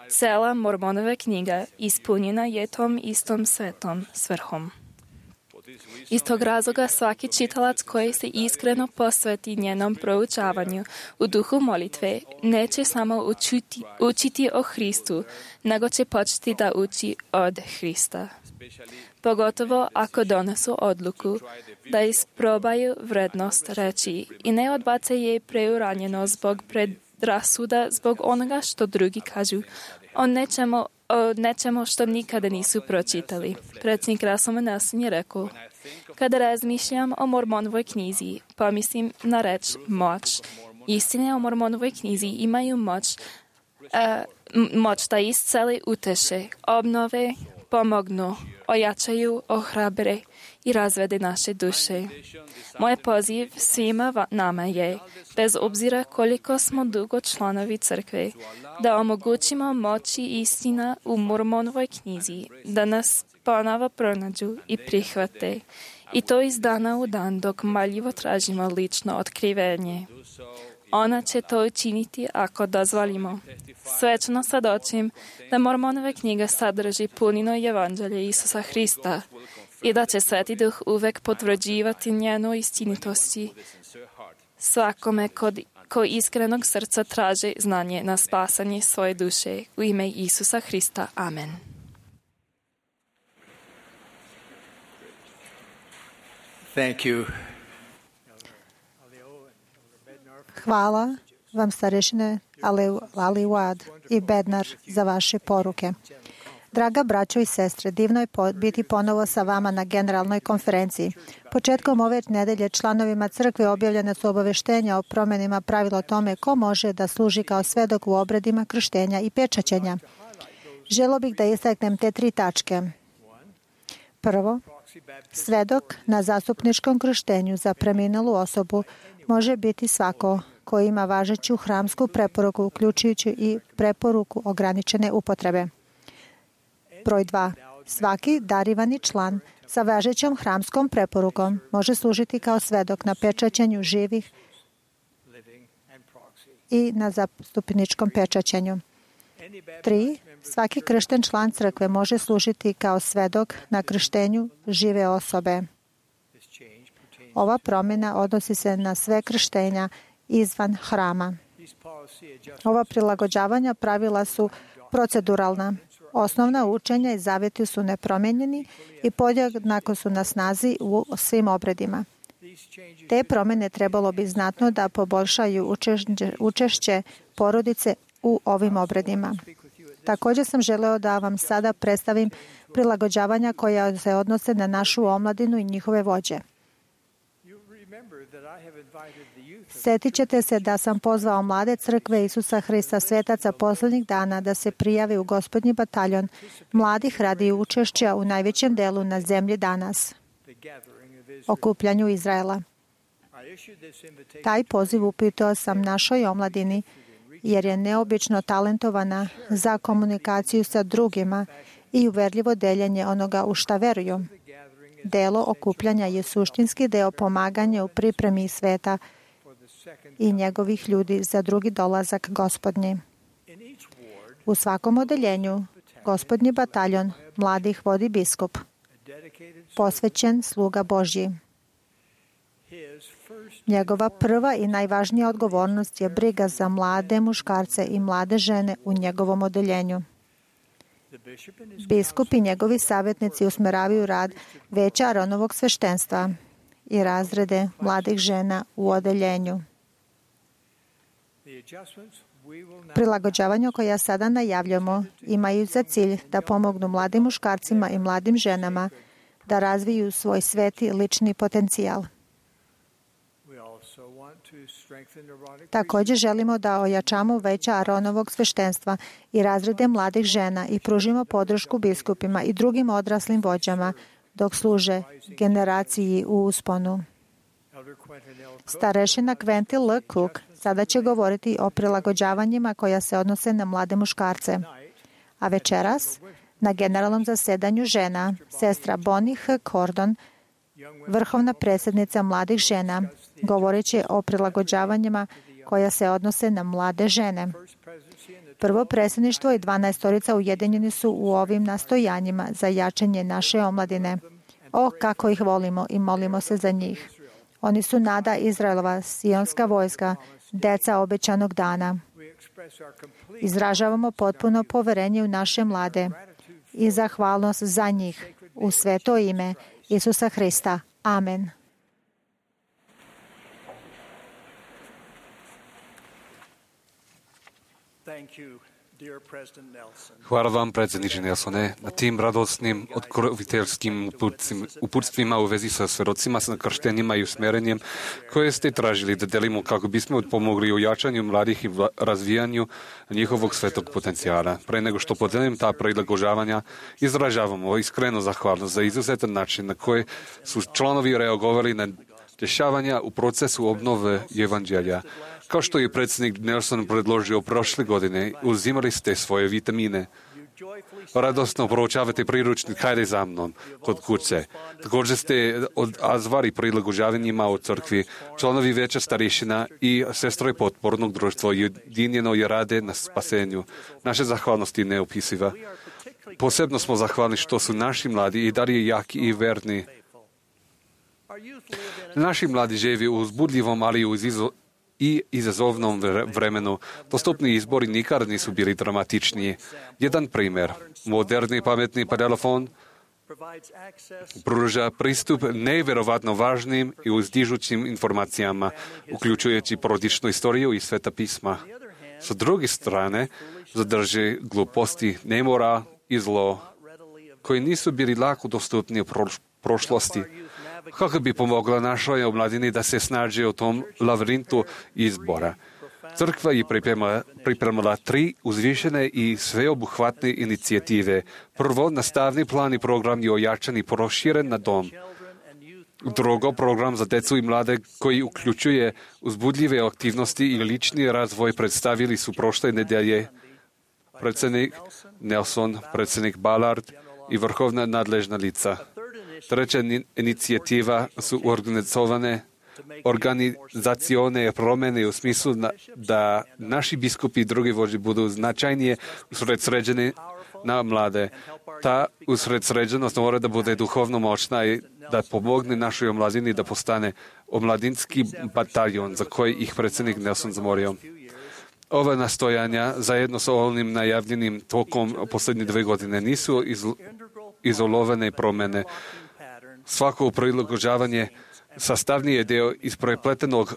Speaker 6: Cela Mormonova knjiga ispunjena je tom istom svetom svrhom. Iz tog razloga svaki čitalac koji se iskreno posveti njenom proučavanju u duhu molitve neće samo učiti o Hristu, nego će početi da uči od Hrista. Pogotovo ako donesu odluku da isprobaju vrednost reči i ne odbace je preuranjeno zbog predrasuda, zbog onoga što drugi kažu o nečemu što nikada nisu pročitali. Predsjednik Russell Nelson je rekao: kada razmišljam o Mormonovoj knjizi, pomislim na reč moć. Istine o Mormonovoj knjizi imaju moć da isceli, uteše, obnove, pomognu, ojačaju, ohrabre i razvede naše duše. Moj poziv svima nama je, bez obzira koliko smo dugo članovi crkve, da omogućimo moći istina u Mormonovoj knjizi, da nas ponovo pronađu i prihvate. I to iz dana u dan dok marljivo tražimo lično otkrivenje. Ona će to učiniti ako dozvolimo. Svečno sadočim da Mormonova knjiga sadrži punino evanđelje Isusa Hrista, i da će Sveti Duh uvek potvrđivati njenu istinitosti svakome ko iskrenog srca traži znanje na spasanje svoje duše. U ime Isusa Hrista. Amen.
Speaker 1: Thank you.
Speaker 2: Hvala vam, starešine Aliwad i Bednar, za vaše poruke. Draga braćo i sestre, divno je biti ponovo sa vama na generalnoj konferenciji. Početkom ove nedelje članovima crkve objavljene su obaveštenja o promjenima pravila o tome ko može da služi kao svedok u obredima krštenja i pečaćenja. Želio bih da istaknem te 3 tačke. Prvo, svedok na zastupničkom krštenju za preminalu osobu može biti svako ko ima važeću hramsku preporuku, uključujući i preporuku ograničene upotrebe. Broj 2. Svaki darivani član sa važećom hramskom preporukom može služiti kao svedok na pečaćenju živih i na zastupničkom pečaćenju. 3. Svaki kršten član crkve može služiti kao svedok na krštenju žive osobe. Ova promjena odnosi se na sve krštenja izvan hrama. Ova prilagođavanja pravila su proceduralna. Osnovna učenja i zavjeti su nepromijenjeni i podjednako su na snazi u svim obredima. Te promjene trebalo bi znatno da poboljšaju učešće porodice u ovim obredima. Također sam želeo da vam sada predstavim prilagođavanja koja se odnose na našu omladinu i njihove vođe. Sjetit ćete se da sam pozvao mlade crkve Isusa Hrista svetaca posljednjih dana da se prijave u Gospodnji bataljon mladih radi učešća u najvećem delu na zemlji danas, okupljanju Izraela. Taj poziv upitao sam našoj omladini jer je neobično talentovana za komunikaciju sa drugima i uverljivo deljenje onoga u šta veruju. Delo okupljanja je suštinski deo pomaganja u pripremi sveta i njegovih ljudi za drugi dolazak Gospodnji. U svakom odeljenju Gospodnji bataljon mladih vodi biskup, posvećen sluga Božji. Njegova prva i najvažnija odgovornost je briga za mlade muškarce i mlade žene u njegovom odeljenju. Biskup i njegovi savjetnici usmeravaju rad veća Aronovog sveštenstva i razrede mladih žena u odeljenju. Prilagođavanja koja sada najavljamo imaju za cilj da pomognu mladim muškarcima i mladim ženama da razviju svoj sveti lični potencijal. Također želimo da ojačamo veća Aronovog sveštenstva i razrede mladih žena i pružimo podršku biskupima i drugim odraslim vođama dok služe generaciji u usponu. Starešina Quentin L. Cook sada će govoriti o prilagođavanjima koja se odnose na mlade muškarce. A večeras, na generalnom zasedanju žena, sestra Bonnie H. Cordon, vrhovna predsjednica mladih žena, govorit će o prilagođavanjima koja se odnose na mlade žene. Prvo predsjedništvo i 12 ujedinjeni su u ovim nastojanjima za jačanje naše omladine. O, kako ih volimo i molimo se za njih. Oni su nada Izraelova, sionska vojska, deca obećanog dana. Izražavamo potpuno poverenje u naše mlade i zahvalnost za njih u sveto ime Isusa Hrista. Amen.
Speaker 3: Hvala vam, predsjedniče Nelsone, na tim radosnim, otkroviteljskim uputstvima u vezi sa svedocima, sa krštenjima i usmjerenjem koje ste tražili da delimo kako bismo pomogli u jačanju mladih i razvijanju njihovog svetog potencijala. Pre nego što podelim ta prilagođavanja, izražavamo iskrenu zahvalnost za izuzetan način na koji su članovi reagovali na dešavanja u procesu obnove evanđelja. Kao što je predsjednik Nelson predložio prošle godine, uzimali ste svoje vitamine. Radosno proučavate priručnik Hajde za mnom kod kuće. Također ste odzvali prilagođavanjima u crkvi, članovi veća starešina i sestroje potpornog društva ujedinjeno je rade na spasenju. Naše zahvalnosti neopisiva. Posebno smo zahvalni što su naši mladi i dalje jaki i verni. Naši mladi živi u uzbudljivom, ali i izazovnom vremenu. Dostupni izbori nikad nisu bili dramatičniji. Jedan primjer. Moderni pametni telefon pruža pristup nevjerovatno važnim i uzdižućim informacijama, uključujući porodičnu istoriju i sveta pisma. Sa druge strane, zadrži gluposti, nemora i zlo, koji nisu bili lako dostupni u prošlosti. Kako bi pomogla našoj omladini da se snađe u tom lavirintu izbora? Crkva je pripremila 3 uzvišene i sveobuhvatne inicijative. Prvo, nastavni plan i program je ojačan i proširen na dom. Drugo, program za djecu i mlade koji uključuje uzbudljive aktivnosti i lični razvoj predstavili su prošle nedjelje predsjednik Nelson, predsjednik Ballard i vrhovna nadležna lica. Treća inicijativa su organizacione promjene u smislu da naši biskupi i drugi vođe budu značajnije usredsređeni na mlade. Ta usredsređenost mora da bude duhovno moćna i da pomogne našoj omladini da postane omladinski bataljon za koji ih predsjednik Nelson zamorio. Ova nastojanja, zajedno sa ovim najavljenim tokom posljednje 2 godine, nisu izolovane promjene. Svako prilagođavanje sastavni je deo isprepletenog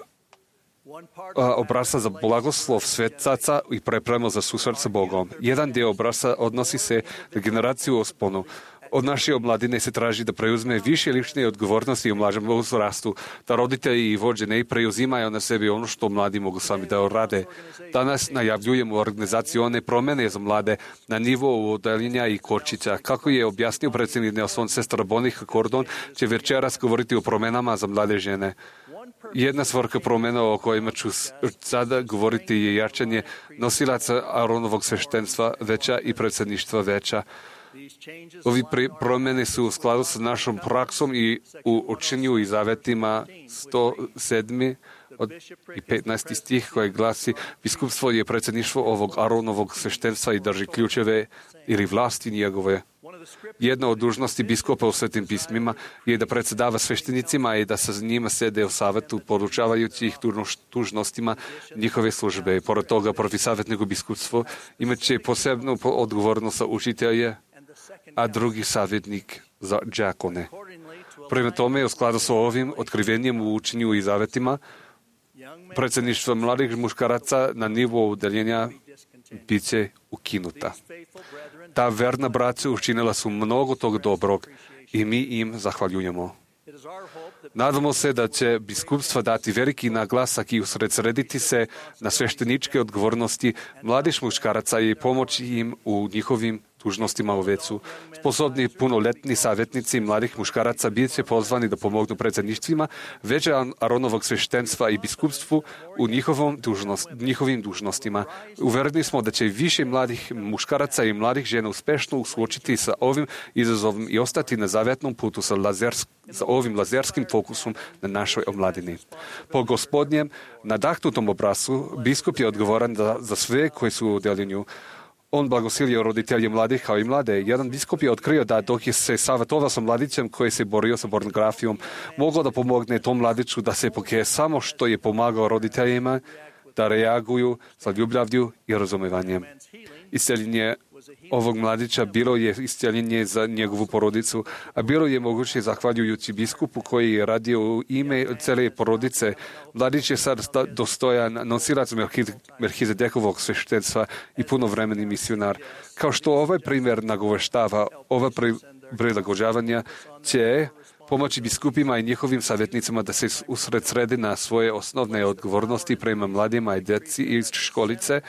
Speaker 3: obrasca za blagoslov svetaca i pripremu za susret sa Bogom. Jedan dio obrasca odnosi se na generaciju usponu. Od naše omladine se traži da preuzme više lične odgovornosti u mlađem uzrastu, da roditelji i vođe ne preuzimaju na sebi ono što mladi mogu sami da rade. Danas najavljujemo organizacione promjene za mlade na nivou odeljenja i kočića. Kako je objasnio predsjednik Nelson, sestra Bonica Gordon će večeras govoriti o promjenama za mlade žene. Jedna svrha promjena o kojima ću sada govoriti je jačanje nosilaca Aronovog sveštenstva veća i predsjedništva veća. Ovi promjene su u skladu sa našom praksom i u učenju i zavetima 107. i 15. stih koji glasi: biskupstvo je predsjedništvo ovog Aronovog sveštenstva i drži ključeve ili vlasti njegove. Jedna od dužnosti biskupa u svetim pismima je da predsjedava sveštenicima i da sa njima sede u savetu, podučavajući ih dužnostima njihove službe. Pored toga, prvi savjetnik u biskupstvu imat će posebnu odgovornost za učitelje, a drugi savjetnik za đakone. Prema tome, u skladu sa ovim otkrivenjem u učenju i zavetima, predsjedništvo mladih muškaraca na nivou udeljenja bit će ukinuta. Ta verna braća učinila su mnogo tog dobrog i mi im zahvaljujemo. Nadamo se da će biskupstva dati veliki naglasak i usredsrediti se na svešteničke odgovornosti mladih muškaraca i pomoći im u njihovim dužnostima u vecu. Sposobni punoletni savjetnici mladih muškaraca bit će pozvani da pomognu predsjedništvima veća Aronovog sveštenstva i biskupstvu u njihovim dužnostima. Uvereni smo da će više mladih muškaraca i mladih žena uspešno suočiti sa ovim izazovom i ostati na zavjetnom putu sa ovim lazerskim fokusom na našoj omladini. Po Gospodnjem nadahnutom obrascu biskup je odgovoran za sve koji su u deljenju. On blagosilio roditelje mladih kao i mlade. Jedan biskup je otkrio da dok je se savjetovao sa mladićem koji se borio sa pornografijom, mogao da pomogne tom mladiću da se pokaje samo što je pomagao roditeljima da reaguju sa ljubavlju i razumijevanjem. Isceljenje ovog mladića bilo je isceljenje za njegovu porodicu, a bilo je moguće zahvaljujući biskupu koji je radio u ime cele porodice. Mladić je sad dostojan nosilac Melhizedekovog sveštenstva i punovremeni misionar. Kao što ovaj primjer nagoveštava, ova prilagođavanja će pomoći biskupima i njihovim savjetnicima da se usredsrede na svoje osnovne odgovornosti prema mladima i djeci iz školice,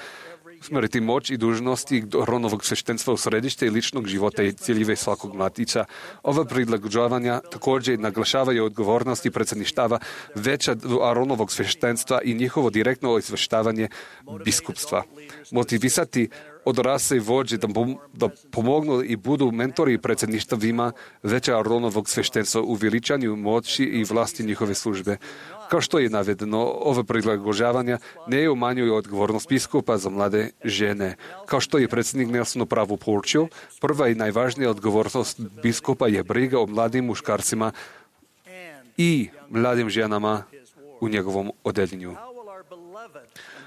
Speaker 3: usmjeriti moć i dužnosti Aronovog sveštenstva u središte ličnog života i ciljeve svakog mladića. Ova prilagođavanja također naglašavaju odgovornosti predsjedništava veća Aronovog sveštenstva i njihovo direktno izveštavanje biskupstva. Motivisati odrasli vođe da pomognu i budu mentori predsjedništvima veća Aronovog sveštenstva u veličanju moći i vlasti njihove službe. Kao što je navedeno, ove prilagođavanja ne umanjuju odgovornost biskupa za mlade žene. Kao što je predsjednik Nelson upravo poručio, prva i najvažnija odgovornost biskupa je briga o mladim muškarcima i mladim ženama u njegovom odeljenju.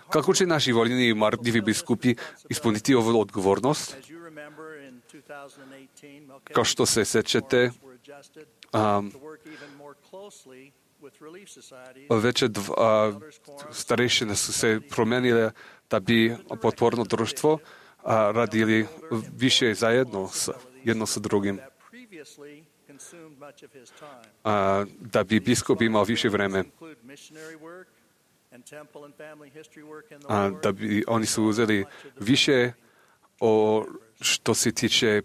Speaker 3: Kako će naši voljeni i marljivi biskupi ispuniti ovu odgovornost? Kao što se sjećate, veće starešine su se promenile da bi potporno društvo radili više zajedno jedno sa drugim. Da bi biskup imao više vreme. Da bi oni su uzeli više o što se tiče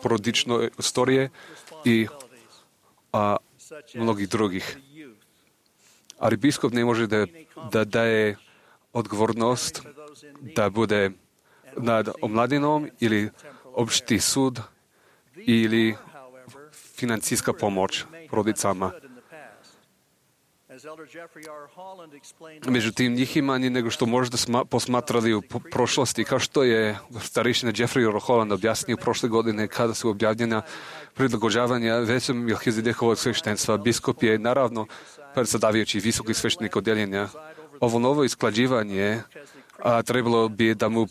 Speaker 3: porodične istorije i mnogih drugih. Ali biskup ne može da daje odgovornost da bude nad omladinom ili opšti sud ili financijska pomoć porodicama. Međutim, njih ima manje nego što možda posmatrali u prošlosti, kao što je starešina Jeffrey R. Holland objasnio prošle godine kada su objavljena prilagođavanja većem Melhizedekovog sveštenstva. Biskup je naravno predsjedavajući visoki sveštenik odjeljenja. Ovo novo isklađivanje trebalo bi da mu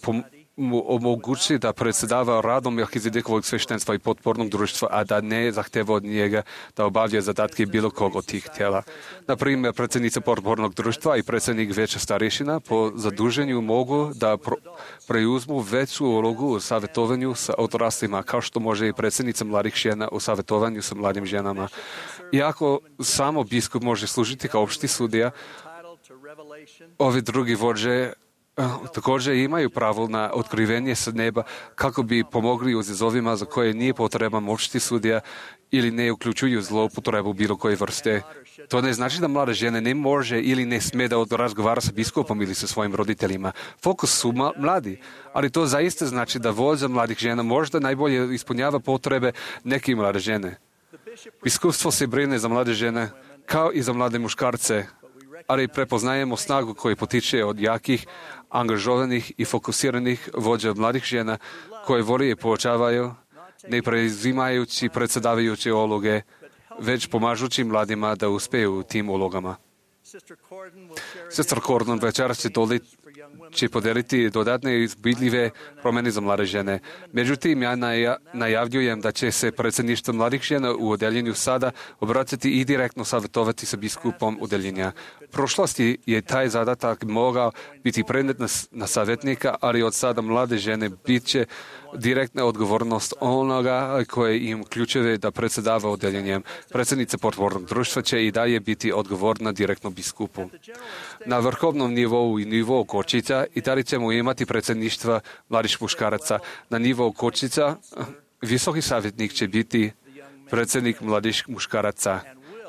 Speaker 3: omogući da predsjedava radom Melhizedekovog sveštenstva i potpornog društva, a da ne zahteva od njega da obavlja zadatke bilo kog od tih tijela. Na primjer, predsjednica potpornog društva i predsjednik veća starešina po zaduženju mogu da preuzmu veću ulogu u savjetovanju sa odraslima, kao što može i predsjednica mladih žena u savjetovanju sa mladim ženama. Iako samo biskup može služiti kao opšti sudija, ovi drugi vođe također imaju pravo na otkrivenje sa neba kako bi pomogli u izazovima za koje nije potreban opšti sudija ili ne uključuju zloupotrebu bilo koje vrste. To ne znači da mlada žena ne može ili ne sme da razgovara sa biskupom ili sa svojim roditeljima. Fokus su mladi, ali to zaista znači da vođa mladih žena možda najbolje ispunjava potrebe neke mlade žene. Biskupstvo se brine za mlade žene kao i za mlade muškarce, ali prepoznajemo snagu koju potiče od jakih, angažovanih i fokusiranih vođa mladih žena koje voli i poučavaju, ne preuzimajući predsjedavajuće uloge, već pomažući mladima da uspeju u tim ulogama. Sestra Cordon večeras će podeliti dodatne izvidljive promjene za mlade žene. Međutim, ja najavljujem da će se predsjedništvo mladih žena u odeljenju sada obratiti i direktno savjetovati sa biskupom odeljenja. U prošlosti je taj zadatak mogao biti prenet na savjetnika, ali od sada mlade žene bit će direktna odgovornost onoga koje im ključeve da predsjedava odeljenjem. Predsjednica potpornog društva će i dalje biti odgovorna direktno biskupu. Na vrhovnom nivou i nivou kočica i dalje ćemo imati predsjedništva mladih muškaraca. Na nivou kočica visoki savjetnik će biti predsjednik mladih muškaraca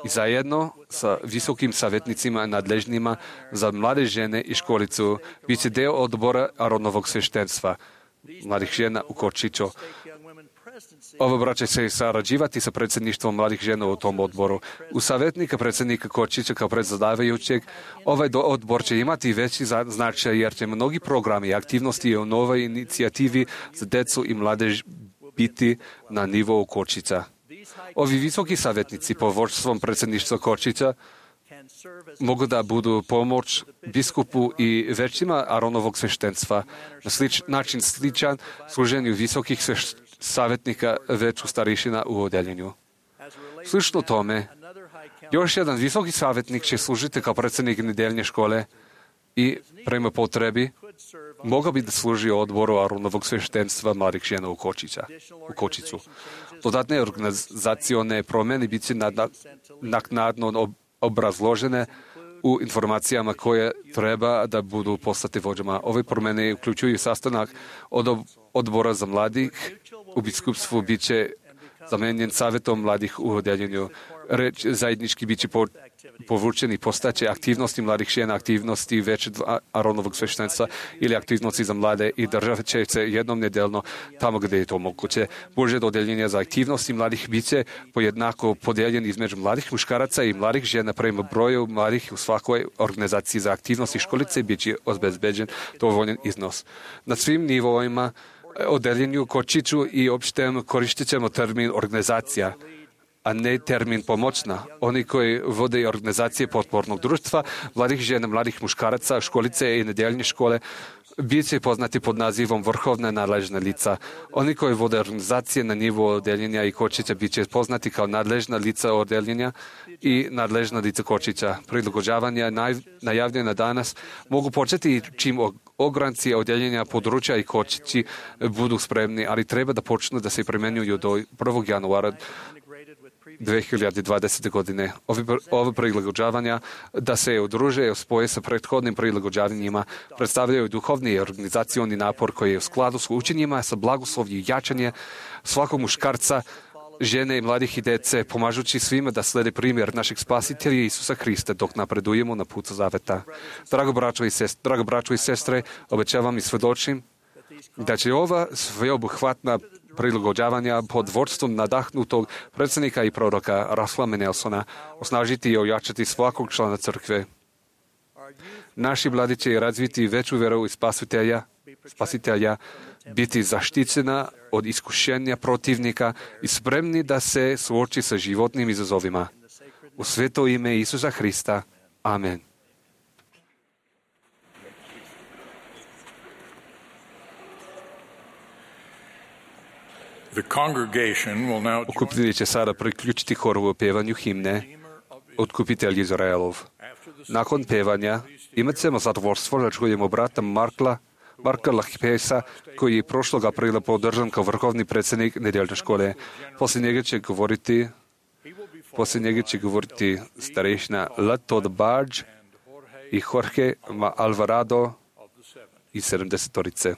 Speaker 3: i zajedno sa visokim savjetnicima nadležnima za mlade žene i školicu bit će deo odbora Aronovog sveštenstva mladih žena u Kočiću. Ovo braće se sarađivati sa predsjedništvom mladih žena u tom odboru. U savjetnika predsjednika Kočića kao predsjedavajućeg, ovaj odbor će imati veći značaj jer će mnogi programi i aktivnosti u novoj inicijativi za decu i mladež biti na nivou Kočića. Ovi visoki savjetnici pod vodstvom predsjedništva Kočića mogu da budu pomoć biskupu i većima Aronovog sveštenstva na način sličan služenju visokih savjetnika veću starešina u odeljenju. Slično tome, još jedan visoki savjetnik će služiti kao predsjednik nedeljne škole i prema potrebi mogao bi da služi odboru Aronovog sveštenstva mladih žena u Kočiću. Dodatne organizacione promjene bit će naknadno obrazložene u informacijama koje treba da budu poslate vođama. Ove promjene uključuju sastanak od odbora za mladih u biskupstvu bit će zamenjen savjetom mladih u odeljenju. Reč zajednički bit će povučeni postaće aktivnosti mladih žena, aktivnosti večer Aronovog sveštenstva ili aktivnosti za mlade i države će se jednom nedeljno tamo gdje je to moguće. Božje dodeljenje za aktivnosti mladih biće pojednako podijeljen između mladih muškaraca i mladih žena prema broju mladih u svakoj organizaciji za aktivnosti školice bit će obezbeđen dovoljan iznos. Na svim nivoima odeljenju kočiću i opštem koristit ćemo termin organizacija, a ne termin pomoćna. Oni koji vode organizacije potpornog društva, mladih žena, mladih muškaraca, školice i nedeljne škole, bit će poznati pod nazivom vrhovna nadležna lica. Oni koji vode organizacije na nivou odeljenja i kočića bit će poznati kao nadležna lica odeljenja i nadležna lica kočića. Prilagođavanja najavljena danas mogu početi čim ogranci odeljenja, područja i kočići budu spremni, ali treba da počnu da se primenjuju do 1. januara 2020. godine. Ove prilagođavanja da se udruže i spoje sa prethodnim prilagođavanjima predstavljaju duhovni i organizacioni napor koji je u skladu s učenjima, sa blagoslovljem i jačanje svakog muškarca, žene i mladih i dece, pomažući svima da slede primjer našeg spasitelja Isusa Hrista dok napredujemo na putu zaveta. Drago braćo i sestre, obećavam i svedočim da će ova sveobuhvatna prilagođavanja pod vodstvom nadahnutog predsjednika i proroka Russella Nelsona osnažiti i ojačati svakog člana crkve. Naši mladi će razviti veću vjeru i spasitelja, biti zaštićena od iskušenja protivnika i spremni da se suoči sa životnim izazovima. U sveto ime Isusa Hrista. Amen.
Speaker 4: Okupitelji
Speaker 3: će sada priključiti horu u pevanju himne Otkupitelj Izraelov. Nakon pevanja imat ćemo zadovoljstvo da čujemo brata Marka Lahipesa, koji je prošlog aprila podržan kao vrhovni predsjednik nedeljne škole. Poslije njega će govoriti starešina Lato Barge i Jorge Alvarado iz 70-torice.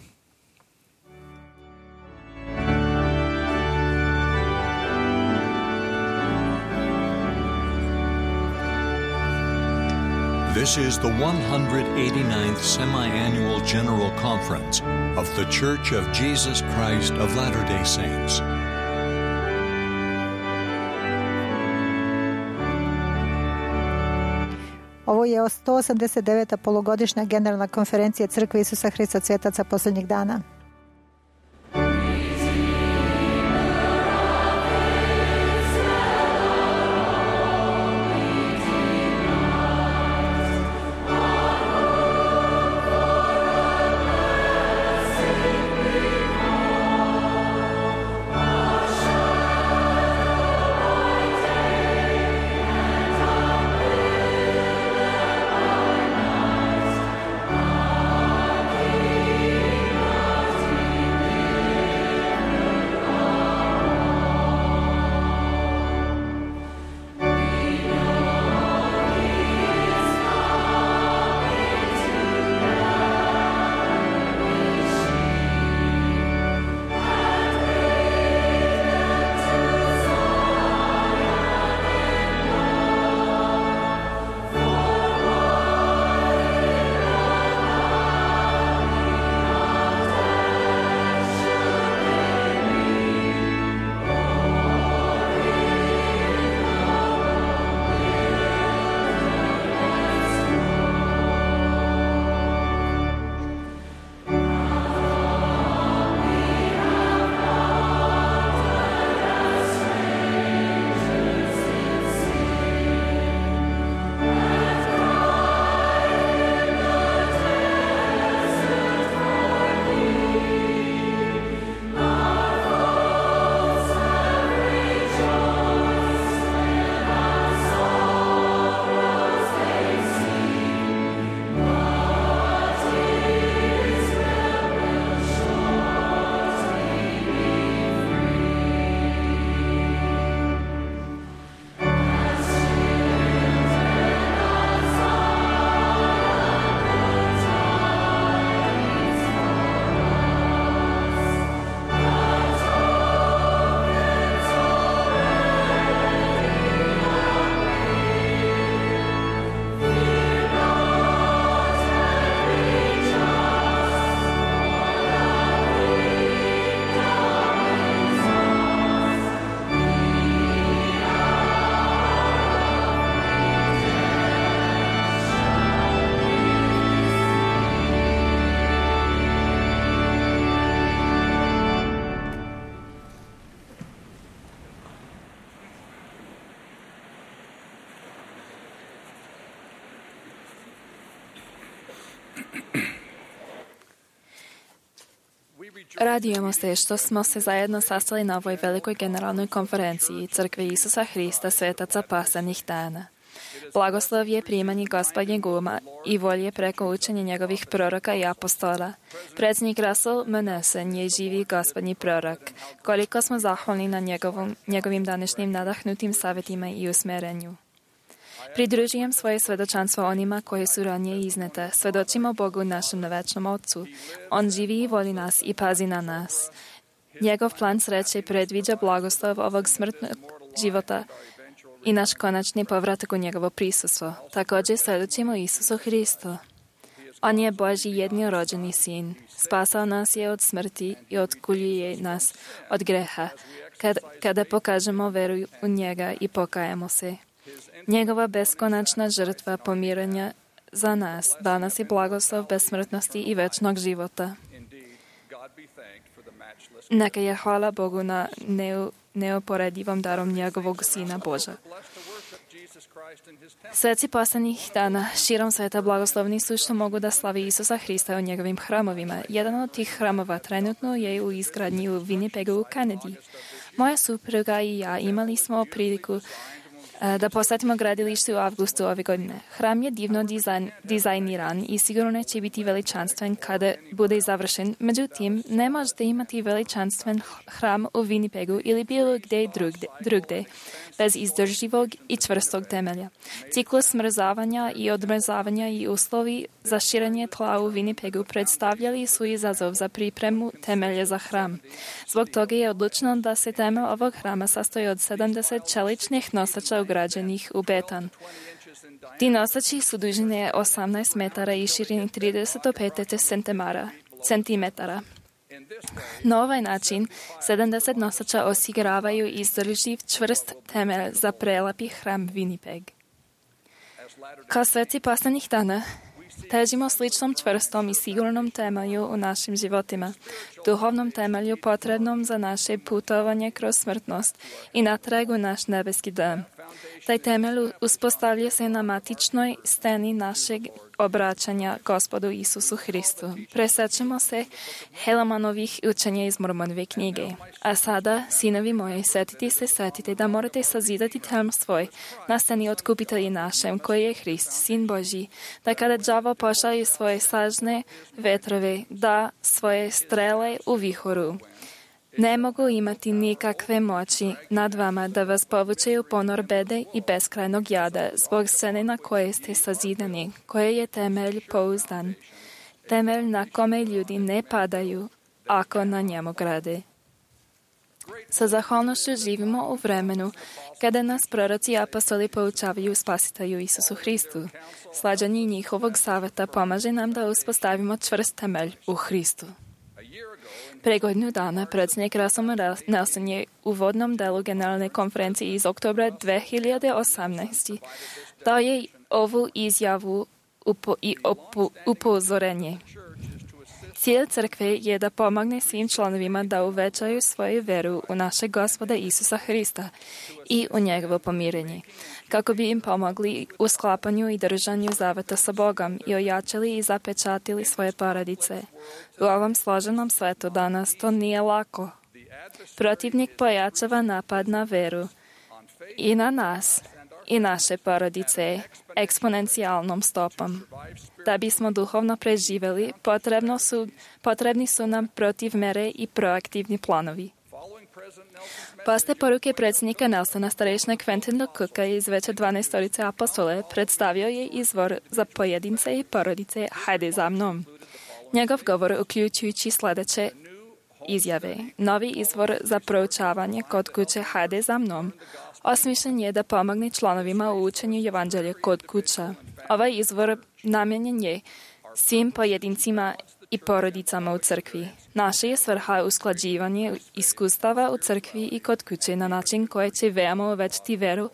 Speaker 7: This is the 189th Semi-Annual General Conference of The Church of Jesus Christ of Latter-day Saints.
Speaker 2: Ovo je 189. polugodišnja generalna konferencija Crkve Isusa Hrista Svetaca posljednjih dana.
Speaker 6: Radujemo se što smo se zajedno sastali na ovoj velikoj generalnoj konferenciji Crkve Isusa Hrista svetaca pasajnih dana. Blagoslov je primanje Gospodnjeg uma i volje preko učenja njegovih proroka i apostola. Predsjednik Russell M. Nelson je živi Gospodnji prorok. Koliko smo zahvalni na njegovim današnjim nadahnutim savjetima i usmerenju. Pridružujem svoje svedočanstvo onima koje su ranije iznete. Svedočimo Bogu našem večnom Otcu. On živi i voli nas i pazi na nas. Njegov plan sreće predviđa blagoslov ovog smrtnog života i naš konačni povratak u njegovo prisustvo. Također svedočimo Isusu Hristu. On je Božji jednorođeni sin. Spasao nas je od smrti i otkuljuje nas od greha. Kada pokažemo veru u njega i pokajemo se. Njegova beskonačna žrtva pomiranja za nas danas je blagoslov besmrtnosti i večnog života. Neka je hvala Bogu na neoporedivom darom njegovog Sina Boža. Sveci poslednjih dana širom sveta blagoslovni su što mogu da slavi Isusa Hrista u njegovim hramovima. Jedan od tih hramova trenutno je u izgradnji u Winnipegu u Kanadi. Moja supruga i ja imali smo priliku da posjetimo gradilište u avgustu ove godine. Hram je divno dizajniran i sigurno će biti veličanstven kada bude završen. Međutim, ne možete imati veličanstven hram u Winnipegu ili bilo gdje drugdje bez izdrživog i čvrstog temelja. Ciklus smrzavanja i odmrzavanja i uslovi za širenje tla u Winnipegu predstavljali su izazov za pripremu temelja za hram. Zbog toga je odlučeno da se temelj ovog hrama sastoji od 70 čeličnih nosača ugrađenih u beton. Ti nosači su dužine 18 metara i širini 35 centimetara. Na ovaj način 70 nosača osiguravaju izdrživ čvrst temelj za prelepi hram Winnipeg. Kao sveci poslednjih dana, težimo sličnom čvrstom i sigurnom temelju u našim životima, duhovnom temelju potrebnom za naše putovanje kroz smrtnost i natrag u naš nebeski dom. Taj temelj uspostavlja se na matičnoj steni našeg obraćanja Gospodu Isusu Hristu. Presećemo se Helanovih učenja iz Mormonove knjige. A sada, sinovi moji, setite da morate sazidati temelj svoj na steni otkupitelji našem, koji je Hrist, Sin Božji, da kada đavo pošalje svoje snažne vetrove, da svoje strele u vihoru. Ne mogu imati nikakve moći nad vama da vas povuče u ponor bede i beskrajnog jada zbog scene na koje ste sazidani, koje je temelj pouzdan. Temelj na kome ljudi ne padaju ako na njemu grade. Sa zahvalnošću živimo u vremenu kada nas proroci i apostoli poučavaju spasitelju Isusu Hristu. Slađanje njihovog saveta pomaže nam da uspostavimo čvrst temelj u Hristu. Pre godinu dana predsjednik Russell Nelson je u uvodnom delu generalne konferencije iz oktobra 2018. dao je ovu izjavu i upozorenje. Cilj crkve je da pomogne svim članovima da uvećaju svoju veru u našeg Gospoda Isusa Hrista i u njegovo pomirenje, kako bi im pomogli u sklapanju i držanju zaveta sa Bogom i ojačali i zapečatili svoje porodice. U ovom složenom svetu danas to nije lako. Protivnik pojačava napad na veru i na nas i naše porodice eksponencijalnom stopom. Da bismo duhovno preživeli, potrebni su nam protiv mere i proaktivni planovi. Posle poruke predsjednika Nelsona, starešina Quentina Cooka iz veće 12 apostole predstavio je izvor za pojedince i porodice Hajde za mnom. Njegov govor uključujući sljedeće izjave. Novi izvor za proučavanje kod kuće Hajde za mnom osmišljen je da pomogne članovima u učenju evanđelja kod kuća. Ovaj izvor namijenjen je svim pojedincima i porodicama u crkvi. Naša je svrha usklađivanje iskustava u crkvi i kod kuće na način koje će veoma uvećati veru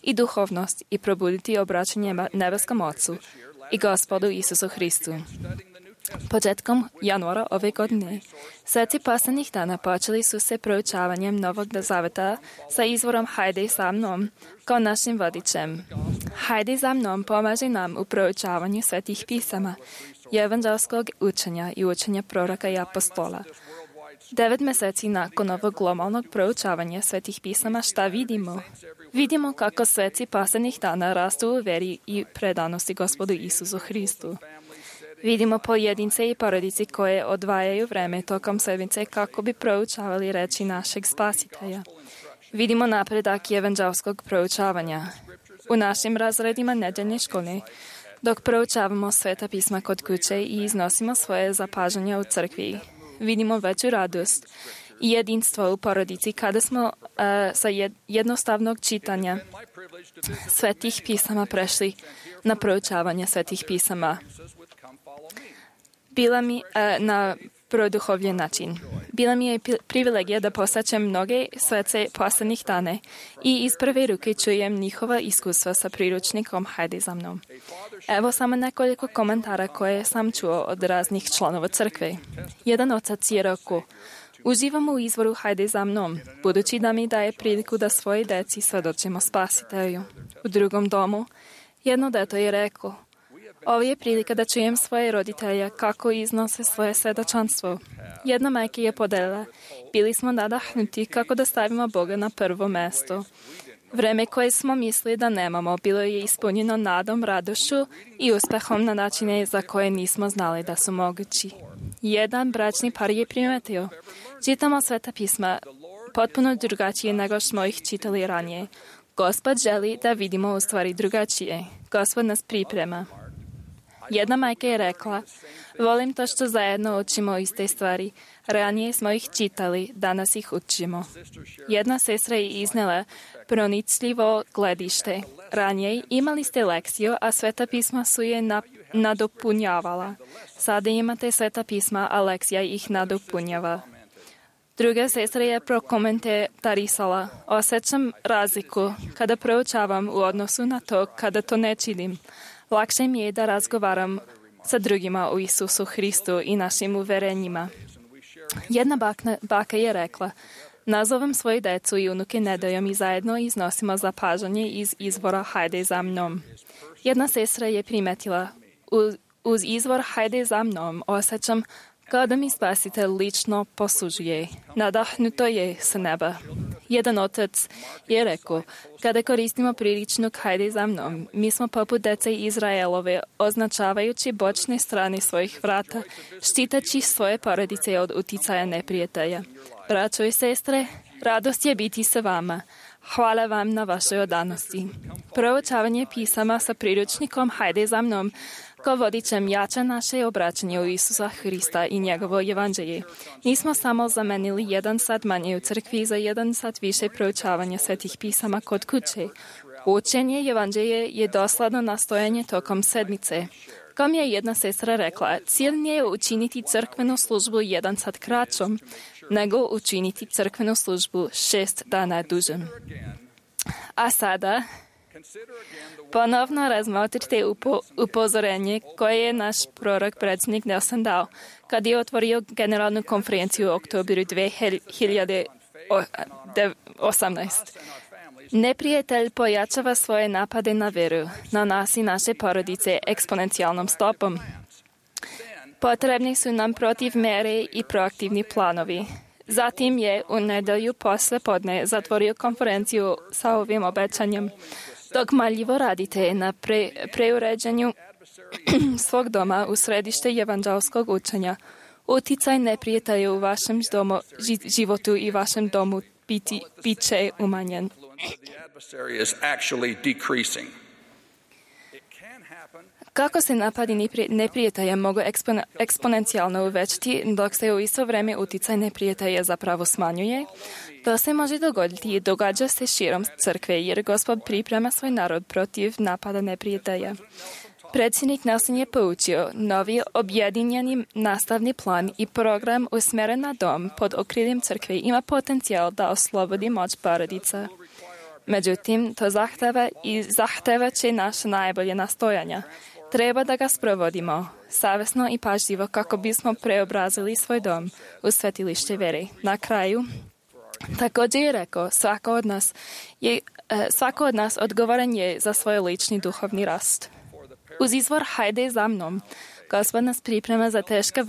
Speaker 6: i duhovnost i probuditi obraćanje nebeskom Otcu i Gospodu Isusu Hristu. Početkom januara ove godine, sveci poslednjih dana počeli su se proučavanjem Novog zaveta sa izvorom Hajde za mnom kao našim vodičem. Hajde za mnom pomaže nam u proučavanju svetih pisama, evanđelskog učenja i učenja proroka i apostola. 9 meseci nakon ovog globalnog proučavanja svetih pisama, šta vidimo? Vidimo kako sveci poslednjih dana rastu u veri i predanosti Gospodu Isusu Hristu. Vidimo pojedince i porodici koje odvajaju vreme tokom sedmice kako bi proučavali reči našeg Spasitelja. Vidimo napredak evanđelskog proučavanja. U našim razredima nedeljne škole, dok proučavamo sveta pisma kod kuće i iznosimo svoje zapažanja u crkvi, vidimo veću radost i jedinstvo u porodici kada smo sa jednostavnog čitanja svetih pisama prešli na proučavanje svetih pisama. Bila mi na produhovljen način. Bila mi je privilegija da posaćem mnoge svece poslednjih dane i iz prve ruke čujem njihova iskustva sa priručnikom Hajde za mnom. Evo samo nekoliko komentara koje sam čuo od raznih članova crkve. Jedan otac je rekao: uživam u izvoru Hajde za mnom, budući da mi daje priliku da svoje deci svedočimo Spasitelju. U drugom domu, jedno dete je rekao: ovo je prilika da čujem svoje roditelje kako iznose svoje svedočanstvo. Jedna majka je podelila: bili smo nadahnuti kako da stavimo Boga na prvo mesto. Vreme koje smo mislili da nemamo bilo je ispunjeno nadom, radošću i uspehom na načine za koje nismo znali da su mogući. Jedan bračni par je primetio: čitamo sveta pisma potpuno drugačije nego smo ih čitali ranije. Gospod želi da vidimo u stvari drugačije. Gospod nas priprema. Jedna majka je rekla: volim to što zajedno učimo iste stvari. Ranije smo ih čitali, danas ih učimo. Jedna sestra je iznela pronicljivo gledište. Ranije imali ste lekciju, a sveta pisma su je nadopunjavala. Sada imate sveta pisma, a lekcija ih nadopunjava. Druga sestra je prokomentarisala: osjećam razliku kada proučavam u odnosu na to kada to ne činim. Lakše mi je da razgovaram sa drugima o Isusu Hristu i našim uverenjima. Jedna baka je rekla: nazovem svoje decu i unuke nedeljom i zajedno iznosimo zapažanje iz izvora Hajde za mnom. Jedna sestra je primetila: uz izvor Hajde za mnom osjećam kao da mi Spasitelj lično poslužuje. Nadahnuto je sa neba. Jedan otac je rekao: kada koristimo priličnik Hajde za mnom, mi smo poput dece Izraelove, označavajući bočne strane svojih vrata, štiteći svoje porodice od uticaja neprijatelja. Braćo i sestre, radost je biti sa vama. Hvala vam na vašoj odanosti. Proučavanje pisama sa priručnikom Hajde za mnom kao vodičem jača naše obraćanje u Isusa Hrista i njegovo evanđelje. Nismo samo zamenili 1 sat manje u crkvi za 1 sat više proučavanja svetih pisama kod kuće. Učenje evanđelje je dosledno nastojanje tokom sedmice. Kao mi je jedna sestra rekla: cilj nije učiniti crkvenu službu 1 sat kraćom, nego učiniti crkvenu službu 6 dana dužem. A sada ponovno razmotrite upozorenje koje je naš prorok predsjednik Nelson dao kad je otvorio generalnu konferenciju u oktobru 2018. Neprijatelj pojačava svoje napade na veru, na nas i naše porodice eksponencijalnom stopom. Potrebni su nam protiv mere i proaktivni planovi. Zatim je u nedelju posle podne zatvorio konferenciju sa ovim obećanjem: dok marljivo radite na preuređenju svog doma u središte evanđelskog učenja, uticaj neprijatelja u vašem životu i vašem domu bit će umanjen. Kako se napadi neprijatelja mogu eksponencijalno uvećati, dok se u isto vrijeme uticaj neprijatelja zapravo smanjuje? To se može dogoditi i događa se širom crkve, jer Gospod priprema svoj narod protiv napada neprijatelja. Predsjednik Nelson je poučio: novi objedinjeni nastavni plan i program usmjeren na dom pod okriljem crkve ima potencijal da oslobodi moć porodica. Međutim, to zahteva će naše najbolje nastojanja. Treba da ga sprovodimo savjesno i pažljivo kako bismo preobrazili svoj dom u svetilište vere. Na kraju, također je rekao: svako od nas odgovoran je za svoj lični duhovni rast. Uz izvor Hajde za mnom, Gospod nas priprema za teška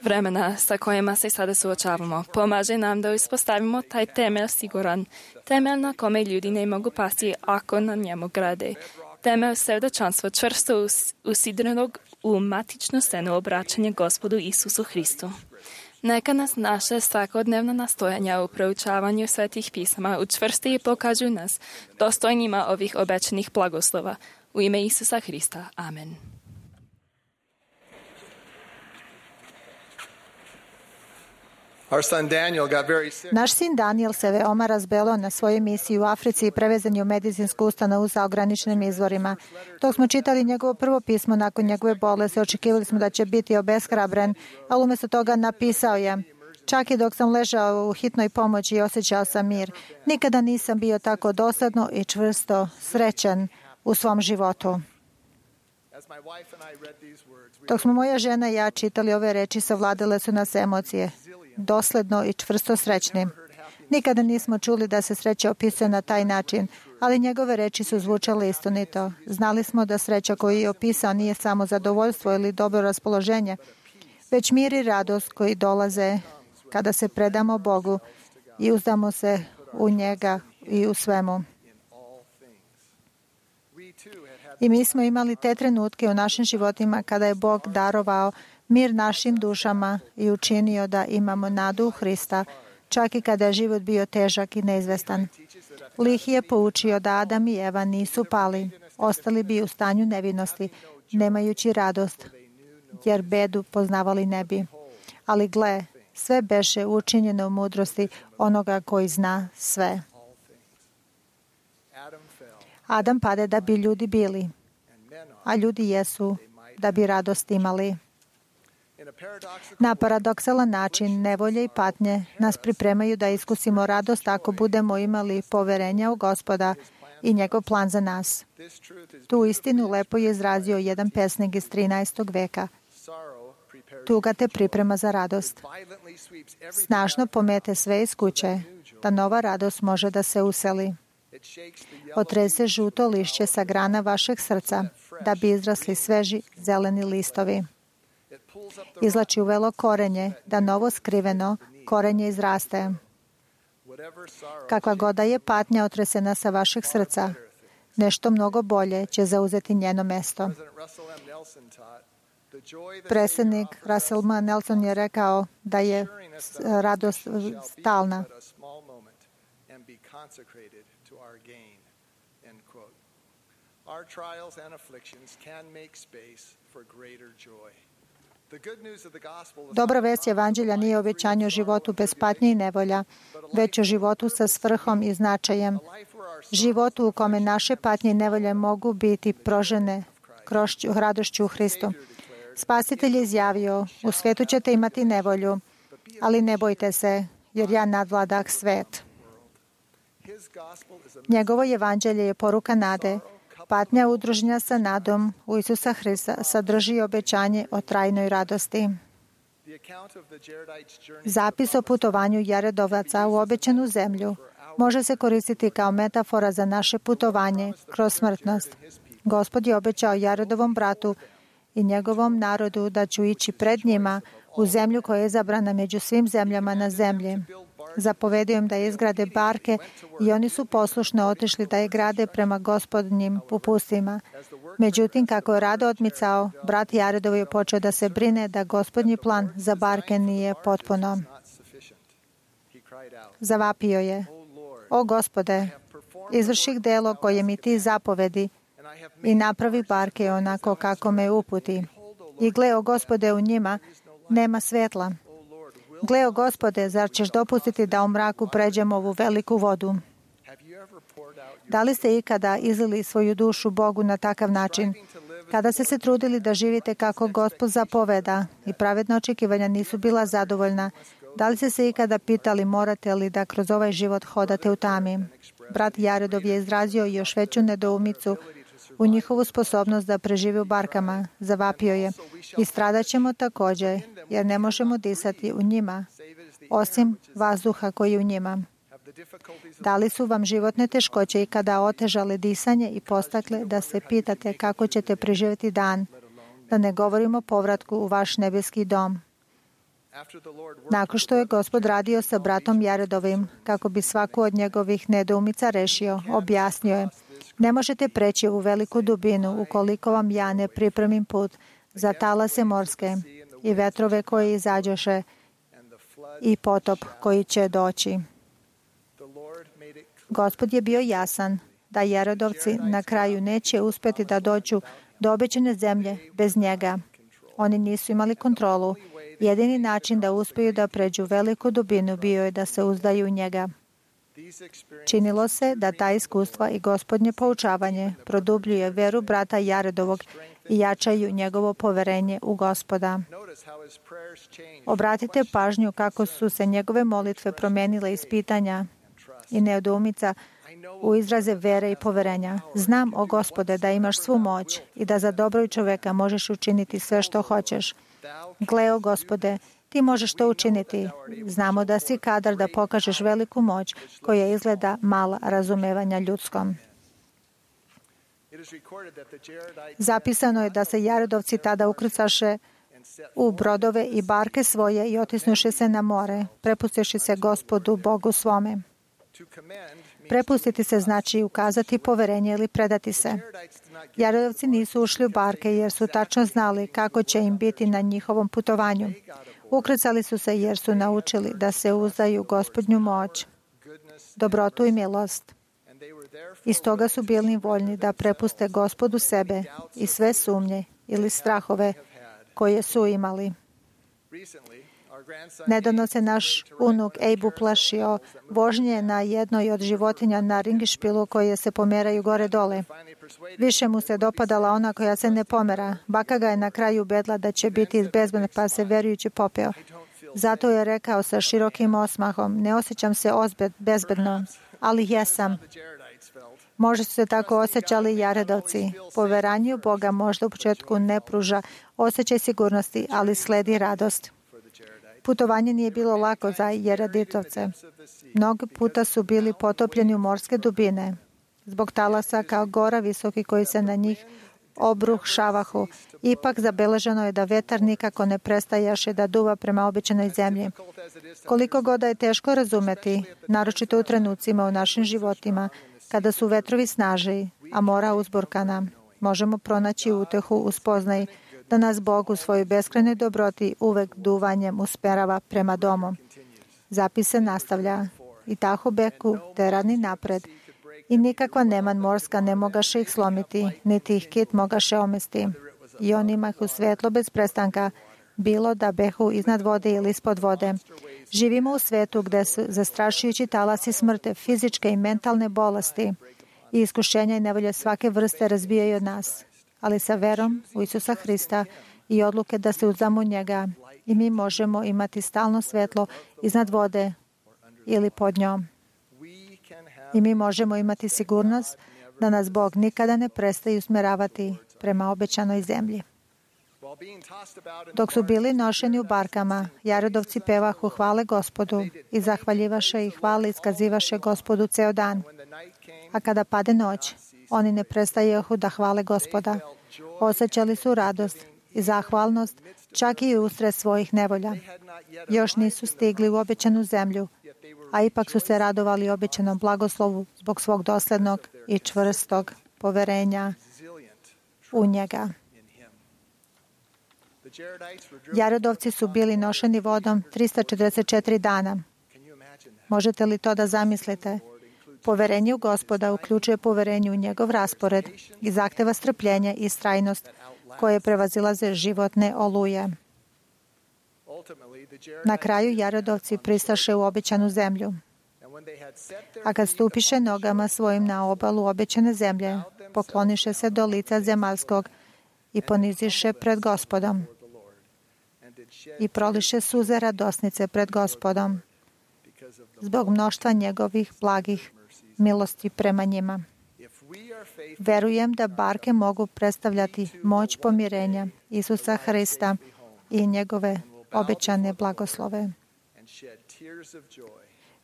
Speaker 6: vremena sa kojima se sada suočavamo. Pomaže nam da uspostavimo taj temelj siguran, temelj na kome ljudi ne mogu pasti ako na njemu grade. Temelj svedočanstva čvrsto usidrenog u matičnu scenu obraćanja Gospodu Isusu Hristu. Neka nas naše svakodnevna nastojanja u proučavanju svetih pisama učvrsti i pokažu nas dostojnima ovih obećanih blagoslova. U ime Isusa Hrista. Amen.
Speaker 2: Naš sin Daniel se veoma razbelo na svojoj misiji u Africi i prevezan je u medicinsku ustanovu sa ograničenim izvorima. Dok smo čitali njegovo prvo pismo nakon njegove bolesti, očekivali smo da će biti obeshrabren, ali umjesto toga napisao je: čak i dok sam ležao u hitnoj pomoći i osjećao sam mir, nikada nisam bio tako dosadno i čvrsto srećan u svom životu. Dok smo moja žena i ja čitali ove reči, savladale su nas emocije. Dosledno i čvrsto srećni. Nikada nismo čuli da se sreća opisuje na taj način, ali njegove reči su zvučale istinito. Znali smo da sreća koju je opisao nije samo zadovoljstvo ili dobro raspoloženje, već mir i radost koji dolaze kada se predamo Bogu i uzdamo se u njega i u svemu. I mi smo imali te trenutke u našim životima kada je Bog darovao mir našim dušama i učinio da imamo nadu u Hrista, čak i kada je život bio težak i neizvestan. Lih je poučio da Adam i Eva nisu pali, ostali bi u stanju nevinosti, nemajući radost, jer bedu poznavali ne bi. Ali gle, sve beše učinjeno u mudrosti onoga koji zna sve. Adam pade da bi ljudi bili, a ljudi jesu da bi radost imali. Na paradoksalan način nevolje i patnje nas pripremaju da iskusimo radost ako budemo imali poverenja u Gospoda i njegov plan za nas. Tu istinu lepo je izrazio jedan pesnik iz 13. veka. Tuga te priprema za radost. Snažno pomete sve iz kuće, da nova radost može da se useli. Otrese žuto lišće sa grana vašeg srca, da bi izrasli sveži zeleni listovi. Izlači uvelo korenje, da novo skriveno korenje izraste. Kakva god da je patnja otresena sa vašeg srca, nešto mnogo bolje će zauzeti njeno mesto. Predsjednik Russell M. Nelson je rekao da je radost stalna. Dobra vest Evanđelja nije o obećanju o životu bez patnje i nevolja, već o životu sa svrhom i značajem. Životu u kome naše patnje i nevolje mogu biti prožene radošću u Hristu. Spasitelj je izjavio: u svetu ćete imati nevolju, ali ne bojte se, jer ja nadvladah svet. Njegovo evanđelje je poruka nade. Patnja udruženja sa nadom u Isusa Hrista sadrži obećanje o trajnoj radosti. Zapis o putovanju Jaredovaca u obećanu zemlju može se koristiti kao metafora za naše putovanje kroz smrtnost. Gospod je obećao Jaredovom bratu i njegovom narodu da ću ići pred njima u zemlju koja je izabrana među svim zemljama na zemlji. Zapovedio im da izgrade barke i oni su poslušno otišli da je grade prema Gospodnjim upustvima. Međutim, kako je rado odmicao, brat Jaredov je počeo da se brine da Gospodnji plan za barke nije potpuno. Zavapio je: o Gospode, izvrši delo koje mi ti zapovedi i napravi barke onako kako me uputi. I gle, o Gospode, u njima nema svetla. Gle, o Gospode, zar ćeš dopustiti da u mraku pređemo ovu veliku vodu? Da li ste ikada izlili svoju dušu Bogu na takav način? Kada ste se trudili da živite kako Gospod zapoveda i pravedna očekivanja nisu bila zadovoljna, da li ste se ikada pitali morate li da kroz ovaj život hodate u tami? Brat Jaredov je izrazio još veću nedoumicu u njihovu sposobnost da prežive u barkama. Zavapio je: i stradat ćemo također, jer ne možemo disati u njima, osim vazduha koji je u njima. Da li su vam životne teškoće ikada otežale disanje i postakle da se pitate kako ćete preživjeti dan, Da ne govorimo o povratku u vaš nebeski dom. Nakon što je Gospod radio sa bratom Jaredovim, kako bi svaku od njegovih nedoumica rešio, objasnio je: ne možete preći u veliku dubinu ukoliko vam ja ne pripremim put za talase morske i vetrove koji izađoše i potop koji će doći. Gospod je bio jasan da Jaredovci na kraju neće uspeti da dođu do obećane zemlje bez njega. Oni nisu imali kontrolu. Jedini način da uspiju da pređu veliku dubinu bio je da se uzdaju u njega. Činilo se da ta iskustva i Gospodnje poučavanje produbljuje veru brata Jaredovog i jačaju njegovo poverenje u Gospoda. Obratite pažnju kako su se njegove molitve promenile iz pitanja i nedoumica u izraze vere i poverenja. Znam, o Gospode, da imaš svu moć i da za dobro čoveka možeš učiniti sve što hoćeš. Gle, o Gospode, ti možeš to učiniti. Znamo da si kadar da pokažeš veliku moć koja izgleda mala razumevanja ljudskom. Zapisano je da se Jaredovci tada ukrcaše u brodove i barke svoje i otisnuše se na more, prepustiši se Gospodu Bogu svome. Prepustiti se znači ukazati poverenje ili predati se. Jaredovci nisu ušli u barke jer su tačno znali kako će im biti na njihovom putovanju. Ukrcali su se jer su naučili da se uzdaju Gospodnju moć, dobrotu i milost. I stoga su bili voljni da prepuste Gospodu sebe i sve sumnje ili strahove koje su imali. Nedavno se naš unuk Abe uplašio vožnje na jednoj od životinja na ringišpilu koje se pomeraju gore-dole. Više mu se dopadala ona koja se ne pomera. Baka ga je na kraju ubedila da će biti bezbedna, pa se verujući popeo. Zato je rekao sa širokim osmahom: ne osjećam se bezbedno, ali jesam. Možda su se tako osjećali i Jaredovci. Poverenje u Boga možda u početku ne pruža osjećaj sigurnosti, ali sledi radost. Putovanje nije bilo lako za Jaredovce. Mnogo puta su bili potopljeni u morske dubine, zbog talasa kao gora visoki koji se na njih obrušavahu. Ipak zabeleženo je da vetar nikako ne prestajaše da duva prema obećanoj zemlji. Koliko god da je teško razumeti, naročito u trenucima u našim životima, kada su vetrovi snaži, a mora uzburkana, možemo pronaći utehu u spoznaji da nas Bog u svojoj beskrajnoj dobroti uvek duvanjem usmerava prema domu. Zapis se nastavlja: i tako beku terani napred, i nikakva neman morska ne mogaše ih slomiti, niti ih kit mogaše omesti. I on imahu svetlo bez prestanka, bilo da behu iznad vode ili ispod vode. Živimo u svetu gde su zastrašujući talasi smrte, fizičke i mentalne bolesti i iskušenja i nevolje svake vrste razbijaju od nas. Ali sa verom u Isusa Hrista i odluke da se uzdamo u njega, i mi možemo imati stalno svetlo iznad vode ili pod njom. I mi možemo imati sigurnost da nas Bog nikada ne prestaje usmeravati prema obećanoj zemlji. Dok su bili nošeni u barkama, Jaredovci pevahu hvale Gospodu i zahvaljivaše i hvale iskazivaše Gospodu ceo dan. A kada pade noć, oni ne prestajehu da hvale Gospoda. Osjećali su radost i zahvalnost čak i usred svojih nevolja. Još nisu stigli u obećanu zemlju, a ipak su se radovali obećanom blagoslovu zbog svog doslednog i čvrstog poverenja u njega. Jaredovci su bili nošeni vodom 344 dana. Možete li to da zamislite? Poverenje u Gospoda uključuje poverenje u njegov raspored i zahteva strpljenje i istrajnost koje prevazilaze životne oluje. Na kraju Jaredovci pristaše u obećanu zemlju. A kad stupiše nogama svojim na obalu obećane zemlje, pokloniše se do lica zemaljskog i poniziše pred Gospodom i proliše suze radosnice pred Gospodom zbog mnoštva njegovih blagih milosti prema njima. Verujem da barke mogu predstavljati moć pomirenja Isusa Hrista i njegove obećane blagoslove.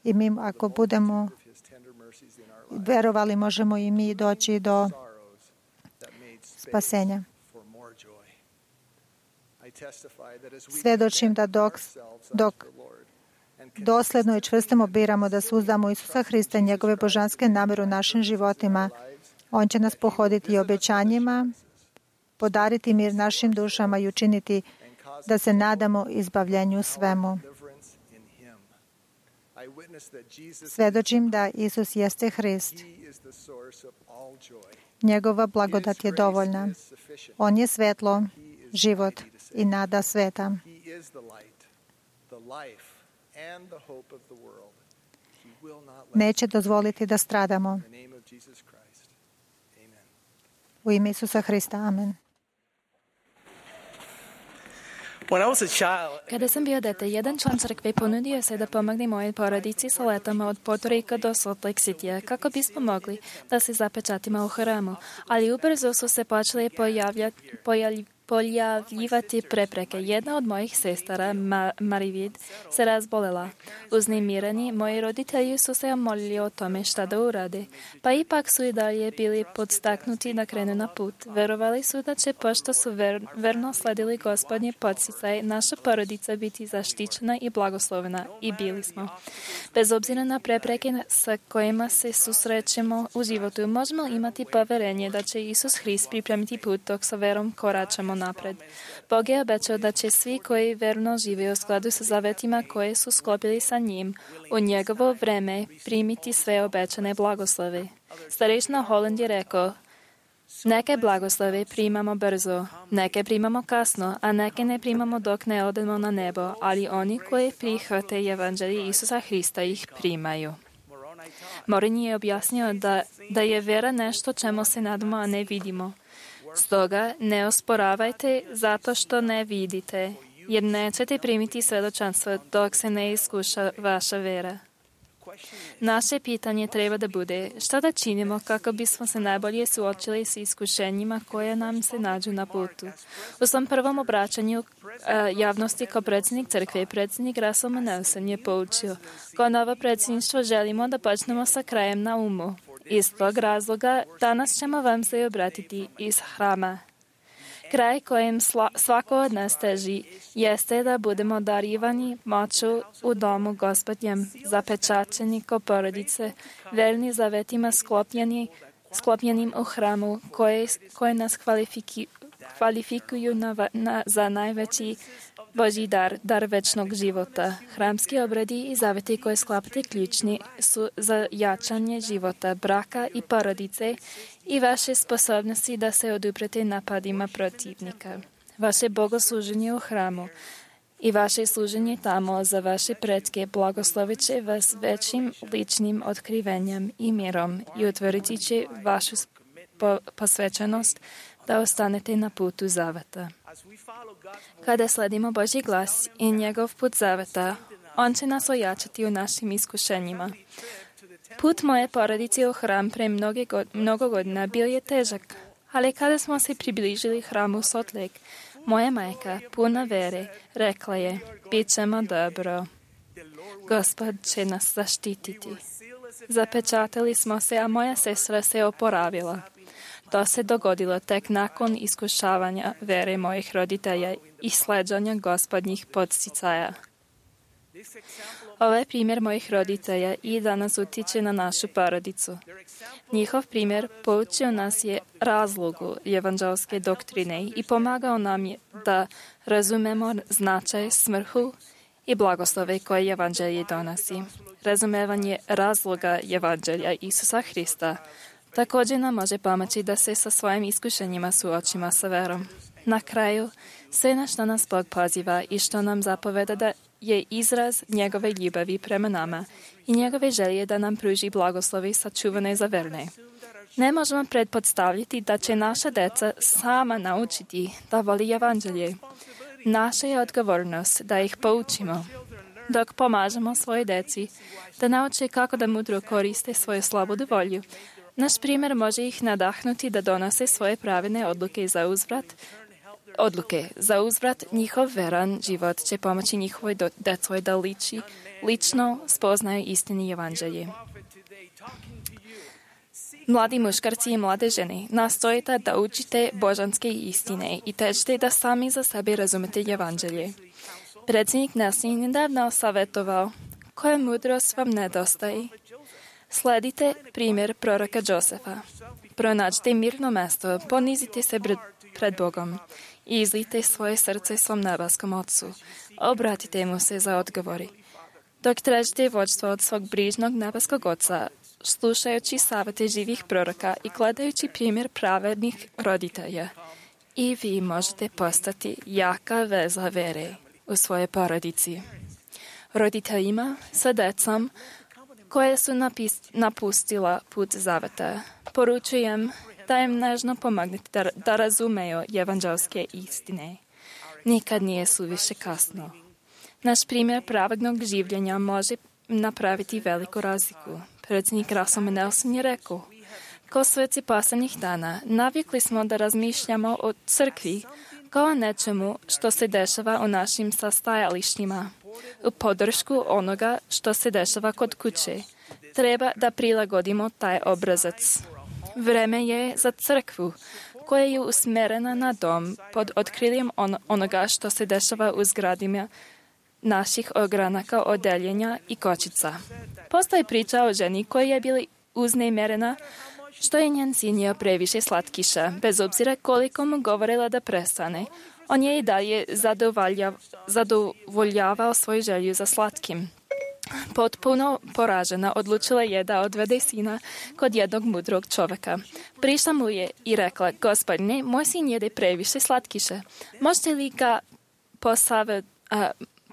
Speaker 2: I mi, ako budemo verovali, možemo i mi doći do spasenja. Svjedočim da dok dosledno i čvrsto biramo da suzdamo Isusa Hrista i njegove božanske namere u našim životima, On će nas pohoditi obećanjima, podariti mir našim dušama i učiniti da se nadamo izbavljenju svemu. Svjedočim da Isus jeste Hrist. Njegova blagodat je dovoljna. On je svetlo, život i nada sveta. Neće dozvoliti da stradamo. U ime Isusa Hrista. Amen.
Speaker 6: Kada sam bio dete, jedan član crkve ponudio se da pomogne mojoj porodici sa letama od Puerto Rika do Salt Lake Citya kako bismo mogli da se zapečatimo u hramu, ali ubrzo su se počele pojavljivati prepreke. Jedna od mojih sestara, Marivid, se razbolela. Uznemireni, moji roditelji su se molili o tome šta da urade, pa ipak su i dalje bili podstaknuti da krenu na put. Verovali su da će, pošto su verno sledili Gospodnje podsticaj, naša porodica biti zaštićena i blagoslovena, i bili smo. Bez obzira na prepreke sa kojima se susrećemo u životu, možemo imati poverenje da će Isus Hrist pripremiti put dok sa verom koračamo napred. Bog je obećao da će svi koji verno žive u skladu sa zavetima koje su sklopili sa njim u njegovo vreme primiti sve obećane blagoslove. Starešina Holland je rekao: neke blagoslove primamo brzo, neke primamo kasno, a neke ne primamo dok ne odemo na nebo, ali oni koji prihvate evanđelje Isusa Hrista ih primaju. Moroni je objasnio da je vera nešto čemu se nadamo, a ne vidimo. Stoga ne osporavajte zato što ne vidite, jer nećete primiti svjedočanstvo dok se ne iskuša vaša vera. Naše pitanje treba da bude: šta da činimo kako bismo se najbolje suočili s iskušenjima koje nam se nađu na putu? U svom prvom obraćanju javnosti kao predsjednik crkve, predsjednik Russell Nelson je poučio: kao novo predsjedništvo želimo da počnemo sa krajem na umu. Iz tog razloga danas ćemo vam se obratiti iz hrama. Kraj kojem svako od nas teži jeste da budemo darivani moću u domu Gospodnjem, zapečaćeni ko porodice, verni zavetima sklopljenim u hramu, koje nas kvalifikuju za najveći Božji dar večnog života. Hramski obredi i zaveti koje sklapate ključni su za jačanje života, braka i porodice i vaše sposobnosti da se oduprete napadima protivnika. Vaše bogosluženje u hramu i vaše služenje tamo za vaše pretke blagoslovit će vas većim ličnim otkrivenjem i mirom i utvrditi će vašu posvećenost da ostanete na putu zaveta. Kada sledimo Božji glas i njegov put zaveta, On će nas ojačati u našim iskušenjima. Put moje porodice u hram pre mnogo godina bio je težak, ali kada smo se približili hramu Salt Lake, moja majka, puna vere, rekla je: bit ćemo dobro. Gospod će nas zaštititi. Zapečatili smo se, a moja sestra se oporavila. To se dogodilo tek nakon iskušavanja vere mojih roditelja i sleđanja Gospodnjih podsticaja. Ovaj primjer mojih roditelja i danas utiče na našu porodicu. Njihov primjer poučio nas je razlogu evanđelske doktrine i pomagao nam je da razumemo značaj, svrhu i blagoslove koje evanđelje donosi. Razumevanje razloga evanđelja Isusa Hrista također nam može pomoći da se sa svojim iskušenjima suočimo sa verom. Na kraju, sve na što nas Bog poziva i što nam zapoveda da je izraz njegove ljubavi prema nama i njegove želje da nam pruži blagoslovi sačuvane za verne. Ne možemo pretpostavljati da će naša deca sama naučiti da voli evanđelje. Naša je odgovornost da ih poučimo, dok pomažemo svoje deci da nauče kako da mudro koriste svoju slobodu volju. Naš primjer može ih nadahnuti da donose svoje pravilne odluke za uzvrat. Njihov veran život će pomoći njihovoj djeci da lično spoznaju istini evanđelje. Mladí muškarci i mlade ženy, nastojite da učite božanske istine i težite da sami za sebe razumete evanđelje. Predsjednik Nelson je nedavno savjetovao, koja mudrost vam nedostaje? Sledite primjer proroka Josefa. Pronađite mirno mesto, ponizite se pred Bogom i izlijte svoje srce svom nebeskom Otcu. Obratite mu se za odgovori. Dok tražite vođstvo od svog brižnog nebeskog Oca, slušajući savjete živih proroka i gledajući primjer pravednih roditelja, i vi možete postati jaka veza vere u svojoj porodici. Roditeljima sa decom koje su napustila put zaveta, poručujem da im nežno pomognete da razumeju evanđelske istine. Nikad nije suviše kasno. Naš primjer pravednog življenja može napraviti veliku razliku. Predsjednik Russell Nelson je rekao, kao sveci posljednjih dana, navikli smo da razmišljamo o crkvi kao nečemu što se dešava u našim sastajalištima, u podršku onoga što se dešava kod kuće. Treba da prilagodimo taj obrazac. Vreme je za crkvu koja je usmjerena na dom pod otkriljem onoga što se dešava u zgradima naših ogranaka, odeljenja i kočica. Postoji priča o ženi koja je bila uznemirena što je njen sin jeo previše slatkiša, bez obzira koliko mu govorila da prestane. On je i dalje zadovoljavao svoju želju za slatkim. Potpuno poražena, odlučila je da odvede sina kod jednog mudrog čovjeka. Prišla mu je i rekla, gospodine, moj sin jede previše slatkiše. Možete li ga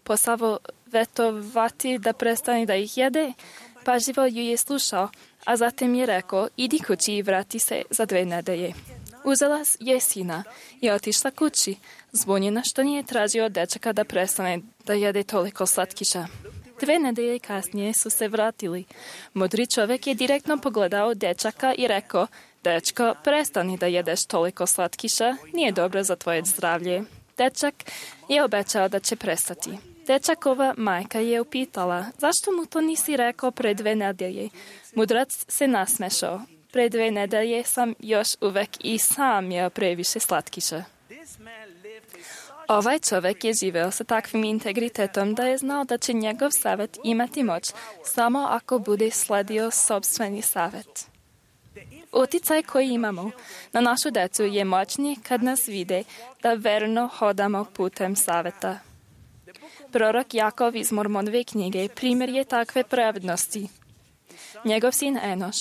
Speaker 6: posavjetovati da prestane da ih jede? Pažljivo ju je slušao, a zatim je rekao, idi kući i vrati se za 2 nedelje. Uzela je sina i otišla kući, zbunjena što nije tražio od dečaka da prestane da jede toliko slatkiša. 2 nedelje kasnije su se vratili. Mudri čovjek je direktno pogledao dečaka i rekao, dečko, prestani da jedeš toliko slatkiša, nije dobro za tvoje zdravlje. Dečak je obećao da će prestati. Dečakova majka je upitala, zašto mu to nisi rekao pre 2 nedelje? Mudrac se nasmešao. Pre 2 nedelje sam još uvek i sam jeo previše slatkiša. Ovaj čovjek je živeo sa takvim integritetom da je znao da će njegov savjet imati moć samo ako bude sledio sopstveni savjet. Uticaj koji imamo na našu decu je moćniji kad nas vide da verno hodamo putem savjeta. Prorok Jakov iz Mormonove knjige primjer je takve pravednosti. Njegov sin Enoš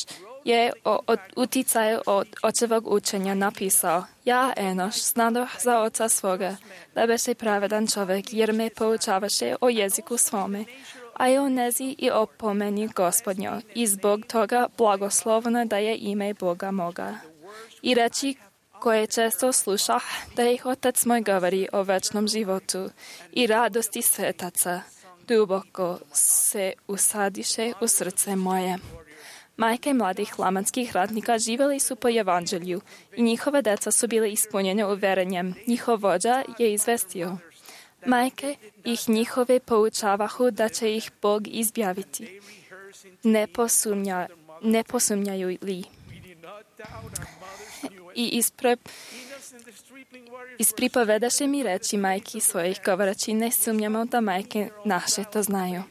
Speaker 6: je o uticaju od očevog učenja napisao, ja, Enoš, znadoh za oca svoga, da beše pravedan čovjek, jer me poučavaše o jeziku svome, a i o nezi i o pomeni Gospodnjo, i zbog toga blagoslovno da je ime Boga moga. I reči koje često slušah, da ih Otac moj govori o večnom životu i radosti svetaca, duboko se usadiše u srce moje. Majke mladih flamanskih ratnika živjeli su po evanđelju i njihove deca su bile ispunjene uverenjem. Njihov vođa je izvestio. Majke ih njihove poučavahu da će ih Bog izbaviti. Ne posumnjaju li? I ispripovedaše mi reči majki svojih govoreći, ne sumnjamo da majke naše to znaju.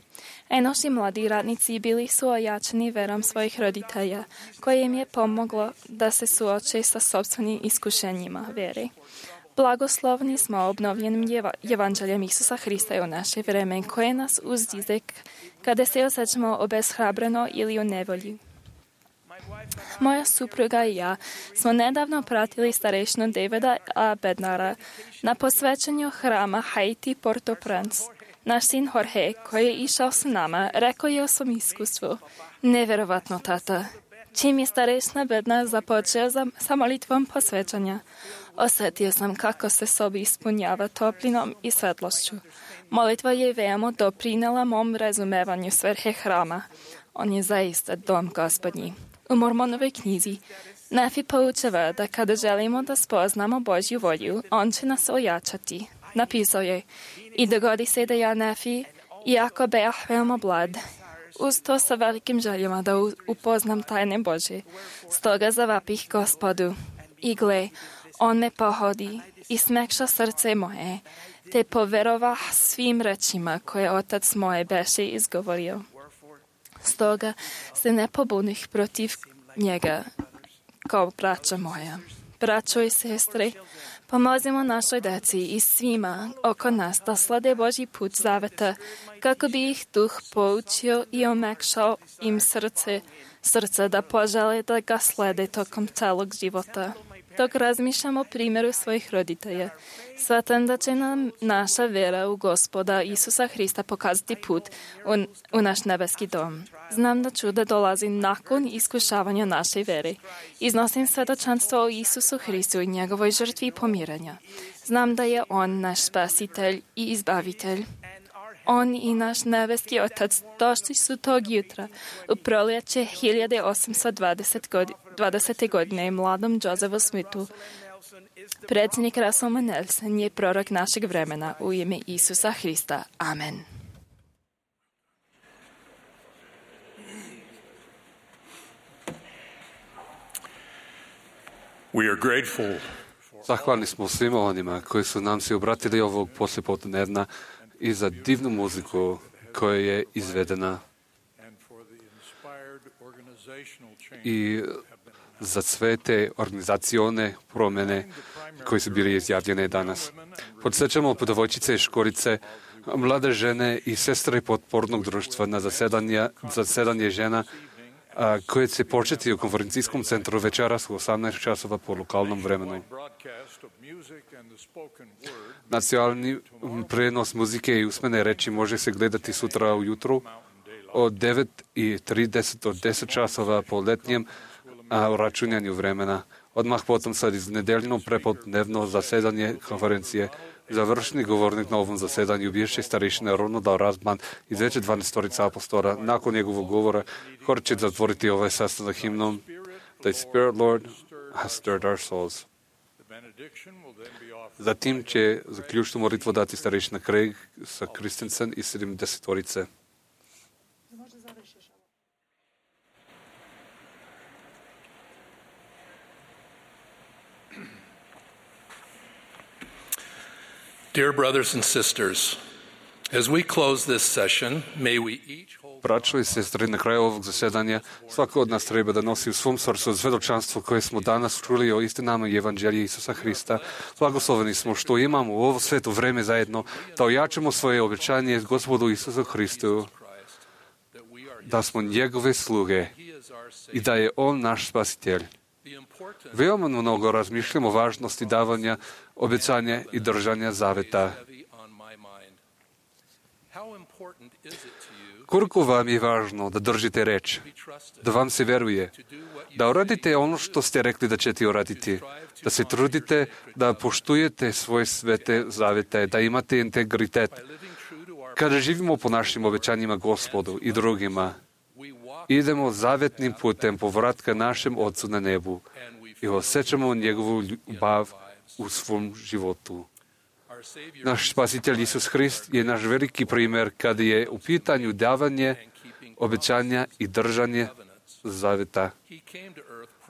Speaker 6: Enoš i mladi radnici bili su ojačani verom svojih roditelja, koje im je pomoglo da se suoče sa sopstvenim iskušenjima vere. Blagoslovni smo obnovljenim evanđeljem Isusa Hrista u naše vreme, koje nas uzdiže kada se osjećamo obeshrabreno ili u nevolji. Moja supruga i ja smo nedavno pratili starešinu Davida A. Bednara na posvećenju hrama Haiti Port-au-Prince. Naš sin Jorge, koji je išao s nama, rekao je o svom iskustvu. Neverovatno, tata. Čim je starešina Bednar započeo sa molitvom posvećanja, osjetio sam kako se sobi ispunjava toplinom i svetlošću. Molitva je veoma doprinela mom razumevanju svrhe hrama. On je zaista dom Gospodnji. U Mormonovoj knjizi Nefi poučava da kada želimo da spoznamo Božju volju, on će nas ojačati. Napisao je, i dogodi se da ja, Nefi, iako beah veoma mlad, uz to sa velikim željama da upoznam tajne Božje. Stoga zavapih Gospodu. I gle, on me pohodi i smekša srce moje, te poverovah svim rečima koje otac moje beše izgovorio. Stoga se ne pobunih protiv njega, kao braća moja. Braćo i sestre, pomozimo našoj deci i svima oko nas da slede Božji put zaveta, kako bi ih duh poučio i omekšao im srce da požele da ga slede tokom celog života. Dok razmišljam o primjeru svojih roditelja, shvatam da će nam naša vera u Gospoda Isusa Hrista pokazati put u naš nebeski dom. Znam da čudo dolazi nakon iskušavanja naše vere. Iznosim svedočanstvo o Isusu Hristu i njegovoj žrtvi pomiranja. Znam da je On naš spasitelj i izbavitelj. On i naš nebeski Otac došli su tog jutra u proljeće 1820. godine mladom Josephu Smithu. Predsjednik Russell Nelson je prorok našeg vremena u ime Isusa Hrista. Amen.
Speaker 4: We are grateful.
Speaker 3: Zahvalni smo svima onima koji su nam se obratili ovog poslijepodnevna i za divnu muziku koja je izvedena i za sve te organizacione promjene koje su bile izjavljene danas. Podsjećamo devojčice i školice, mlade žene i sestre potpornog društva na zasedanje žena koje će početi u konferencijskom centru večeras u 18 časova po lokalnom vremenu. Nacionalni prenos muzike i usmene reči može se gledati sutra ujutru od 9:30 do 10 časova po letnjem računjanju vremena. Odmah potom sad iz nedeljno prepodnevno zasedanje konferencije. Završni govornik na ovom zasedanju bivši starešina Ronald Razman iz veće 12 apostola. Nakon njegovog govora hor će zatvoriti ovaj sastanak himnom The Spirit Lord has stirred our souls. Zatim će zaključnu molitvu dati starešina Craig sa Christensen i 70-orice.
Speaker 8: Dear brothers and sisters, as we close this session, may we each hold...
Speaker 3: Braćo i sestre, na kraju ovog zasedanja svako od nas treba da nosi u svom srcu svedočanstvo koje smo danas čuli o istinama i evanđelja Isusa Hrista. Blagosloveni smo što imamo u ovo sveto vreme zajedno da ojačamo svoje obećanje Gospodu Isusu Hristu, da smo njegove sluge i da je On naš spasitelj. Veoma mnogo razmišljamo o važnosti davanja, obećanja i držanja zaveta. Koliko vam je važno da držite reč, da vam se veruje, da uradite ono što ste rekli da ćete uraditi, da se trudite, da poštujete svoje svete zavete, da imate integritet. Kada živimo po našim obećanjima Gospodu i drugima, idemo zavetnim putem povratka našem Otcu na nebu i osjećamo njegovu ljubav u svom životu. Naš spasitelj Isus Hrist je naš veliki primjer kada je u pitanju davanje, obećanja i držanje zaveta.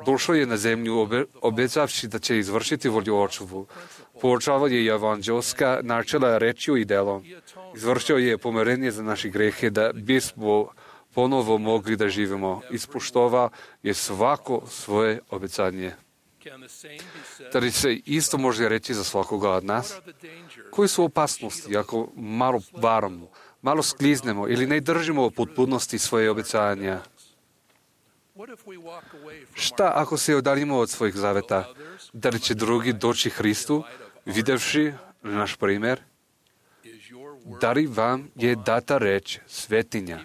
Speaker 3: Došao je na zemlju obećavši da će izvršiti volju Očevu. Poučavao je evanđelska načela rečju i delom. Izvršio je pomirenje za naše grehe da bismo ponovo mogli da živimo. Ispoštovao je svako svoje obećanje. Da li se isto može reći za svakoga od nas? Koji su opasnosti ako malo varamo, malo skliznemo ili ne držimo u potpunosti svoje obećanja? Šta ako se odaljimo od svojih zaveta? Da li će drugi doći Hristu, videvši naš primjer? Da li vam je data reč svetinja?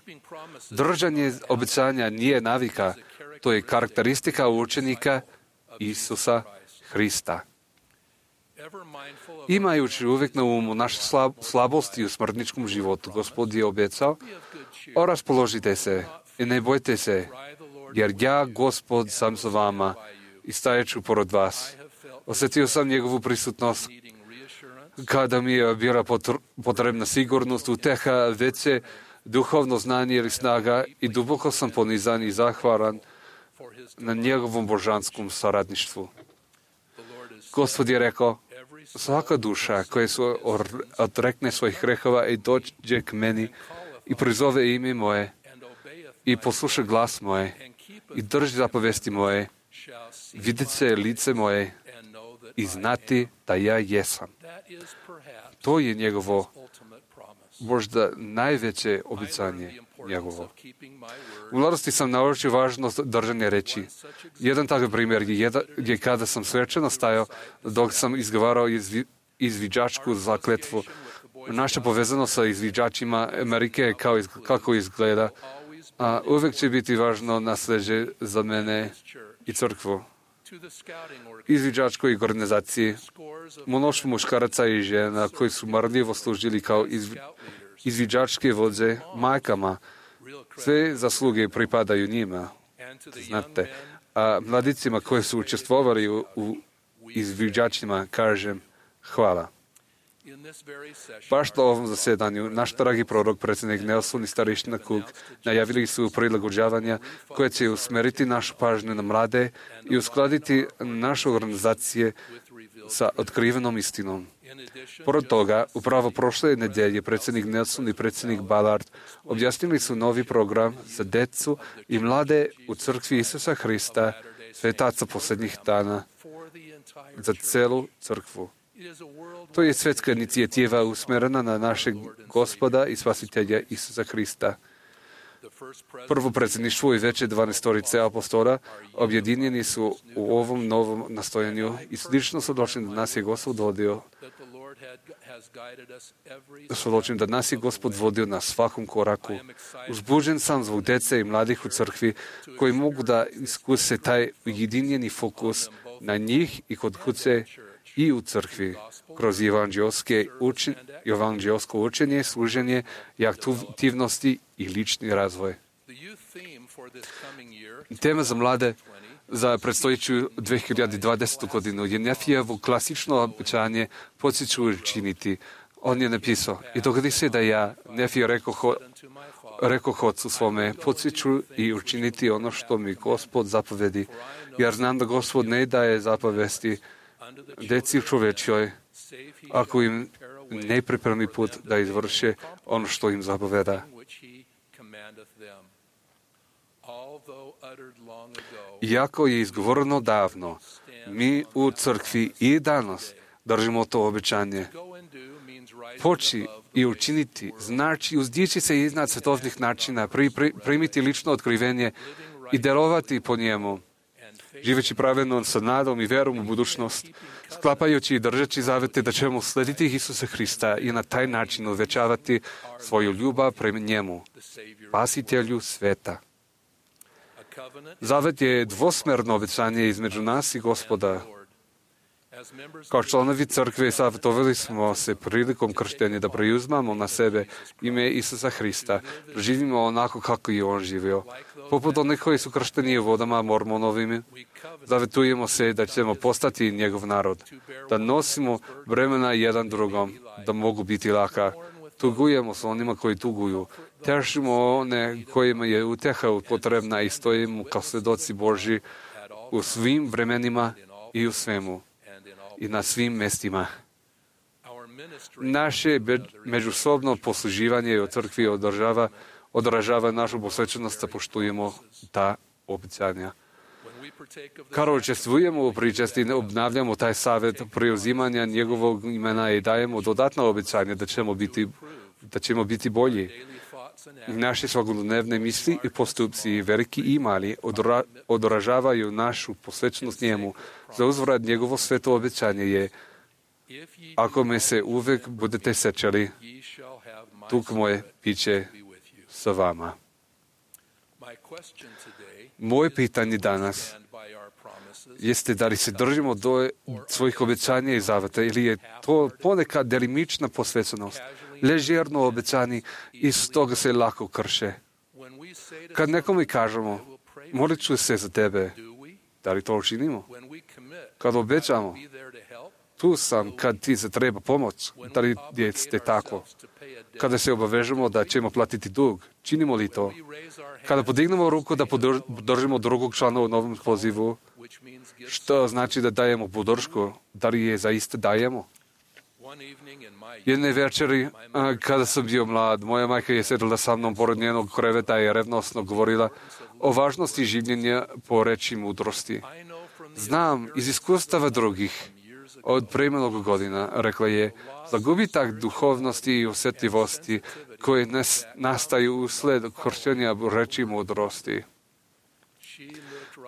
Speaker 3: Držanje obećanja nije navika, to je karakteristika učenika Isusa Hrista. Imajući uvijek na umu naše slabosti u smrtničkom životu, Gospod je obećao, raspoložite se i ne bojte se, jer ja, Gospod, sam sa vama i stajeću pored vas. Osjetio sam njegovu prisutnost kada mi je bila potrebna sigurnost, uteha, veće duhovno znanje ili snaga i duboko sam ponizan i zahvalan na njegovom božanskom saradništvu. Gospod je rekao, svaka duša koja se odrekne svojih grehova i dođe k meni i prizove ime moje i posluša glas moje i drži zapovesti moje, vidjet će lice moje i znati da ja jesam. To je njegovo možda najveće obećanje njegovo. U mladosti sam naučio važnost držanja reči. Jedan takav primjer je kada sam svečano stajao dok sam izgovarao izviđačku zakletvu. Naša povezanost sa izviđačima Amerike kako izgleda, a uvijek će biti važno nasljeđe za mene i crkvu. Izviđačkoj organizaciji mnoštvo muškaraca i žena koji su marljivo služili kao izviđačke vođe majkama. Sve zasluge pripadaju njima, znate. A mladicima koji su učestvovali u izviđačima kažem hvala. Baš na ovom zasjedanju naš dragi prorok, predsjednik Nelson i starešina Cook najavili su prilagođavanja koje će usmeriti našu pažnju na mlade i uskladiti naše organizacije sa otkrivenom istinom. Pored toga, upravo prošle nedjelje predsjednik Nelson i predsjednik Ballard objasnili su novi program za djecu i mlade u crkvi Isusa Hrista, svetaca posljednjih dana, za celu crkvu. To je svjetska inicijativa usmjerena na našeg Gospoda i Spasitelja Isusa Hrista. Prvo predsjedništvo i veće 12 apostola objedinjeni su u ovom novom nastojanju i slično svjedočim da nas je Gospod vodio na svakom koraku. Uzbuđen sam zbog djece i mladih u crkvi koji mogu da iskuse taj ujedinjeni fokus na njih i kod kuće i u crkvi, kroz evanđelsko učenje, služenje i aktivnosti i lični razvoj. Tema za mlade za predstojeću 2020. godinu je Nefijevo klasično obećanje podsjeću učiniti. On je napisao, i dogodi se da ja, Nefije, rekoh ocu svome, podsjeću i učiniti ono što mi Gospod zapovedi, jer znam da Gospod ne daje zapovesti deci čovečjoj, ako im ne pripremi put da izvrše ono što im zapoveda. Iako je izgovoreno davno, mi u crkvi i danas držimo to obećanje. Poći i učiniti znači uzdići se iznad svetovnih načina, primiti lično otkrivenje i djelovati po njemu, živeći pravedno sa nadom i vjerom u budućnost, sklapajući i držeći zavete da ćemo slediti Isusa Hrista i na taj način uvećavati svoju ljubav prema njemu, Spasitelju sveta. Zavet je dvosmerno obećanje između nas i Gospoda. Kao članovi crkve savjetovali smo se prilikom krštenja da preuzmamo na sebe ime Isusa Hrista, da živimo onako kako je on živio. Poput onih koji su kršteni u vodama Mormonovim, zavjetujemo se da ćemo postati njegov narod, da nosimo bremena jedan drugom, da mogu biti laka. Tugujemo s onima koji tuguju, tešimo one kojima je utjeha potrebna i stojimo kao svjedoci Božji u svim vremenima i u svemu i na svim mjestima. Naše međusobno posluživanje u crkvi odražava našu posvećenost da poštujemo ta obećanja. Kada učestvujemo u pričesti, obnavljamo taj savjet preuzimanja njegovog imena i dajemo dodatno obećanje da ćemo biti bolji. Naše svakodnevne misli i postupci, veliki i mali, odražavaju našu posvećenost njemu. Za uzvrat njegovo sveto obećanje je: ako me se uvijek budete sećali, tuk moje biće sa vama. Moje pitanje danas jeste da li se držimo do svojih obećanja i zaveta ili je to ponekad delimična posvećenost, ležerno obećani i s toga se lako krše. Kad nekome kažemo, molit ću se za tebe, da li to učinimo? Kad obećamo, tu sam kad ti se treba pomoć. Da li jeste tako? Kada se obavežemo da ćemo platiti dug, činimo li to? Kada podignemo ruku da podržimo drugog člana u novom pozivu, što znači da dajemo podršku? Da li je zaista dajemo? Jedne večeri, kada sam bio mlad, moja majka je sedela sa mnom pored njenog kreveta i revnosno govorila o važnosti življenja po reči mudrosti. Znam iz iskustava drugih, od pre mnogo godina, rekla je, za gubitak duhovnosti i osjetljivosti koje nastaju usled korištenja reči mudrosti.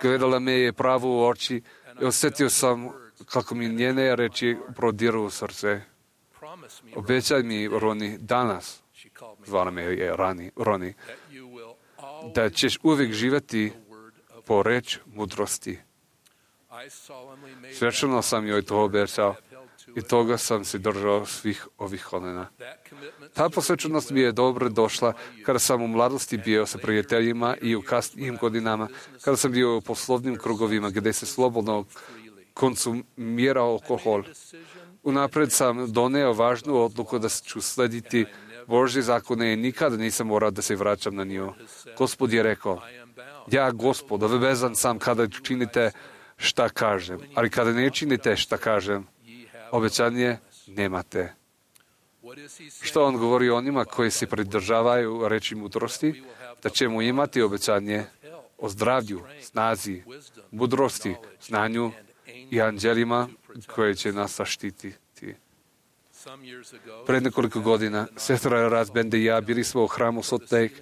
Speaker 3: Gledala me je pravo u oči i osjetio sam kako mi njene reči prodiru u srce. Obećaj mi, Roni, danas, zvala me je Roni, da ćeš uvijek živjeti po reč mudrosti. Svečano sam joj to obećao i toga sam se držao svih ovih kolena. Ta posvećenost mi je dobro došla kada sam u mladosti bio sa prijateljima i u kasnijim godinama, kada sam bio u poslovnim krugovima gdje se slobodno konzumirao alkohol. Unapred sam doneo važnu odluku da ću slediti Božje zakone i nikada nisam morao da se vraćam na nju. Gospod je rekao, ja, Gospod, obavezan sam kada činite šta kažem, ali kada ne činite šta kažem, obećanje nemate. Što on govori onima koji se pridržavaju reči mudrosti? Da ćemo imati obećanje o zdravlju, snazi, mudrosti, znanju i anđelima koje će nas zaštititi. Pred nekoliko godina, sestra Razbende i ja bili smo u hramu Salt Lake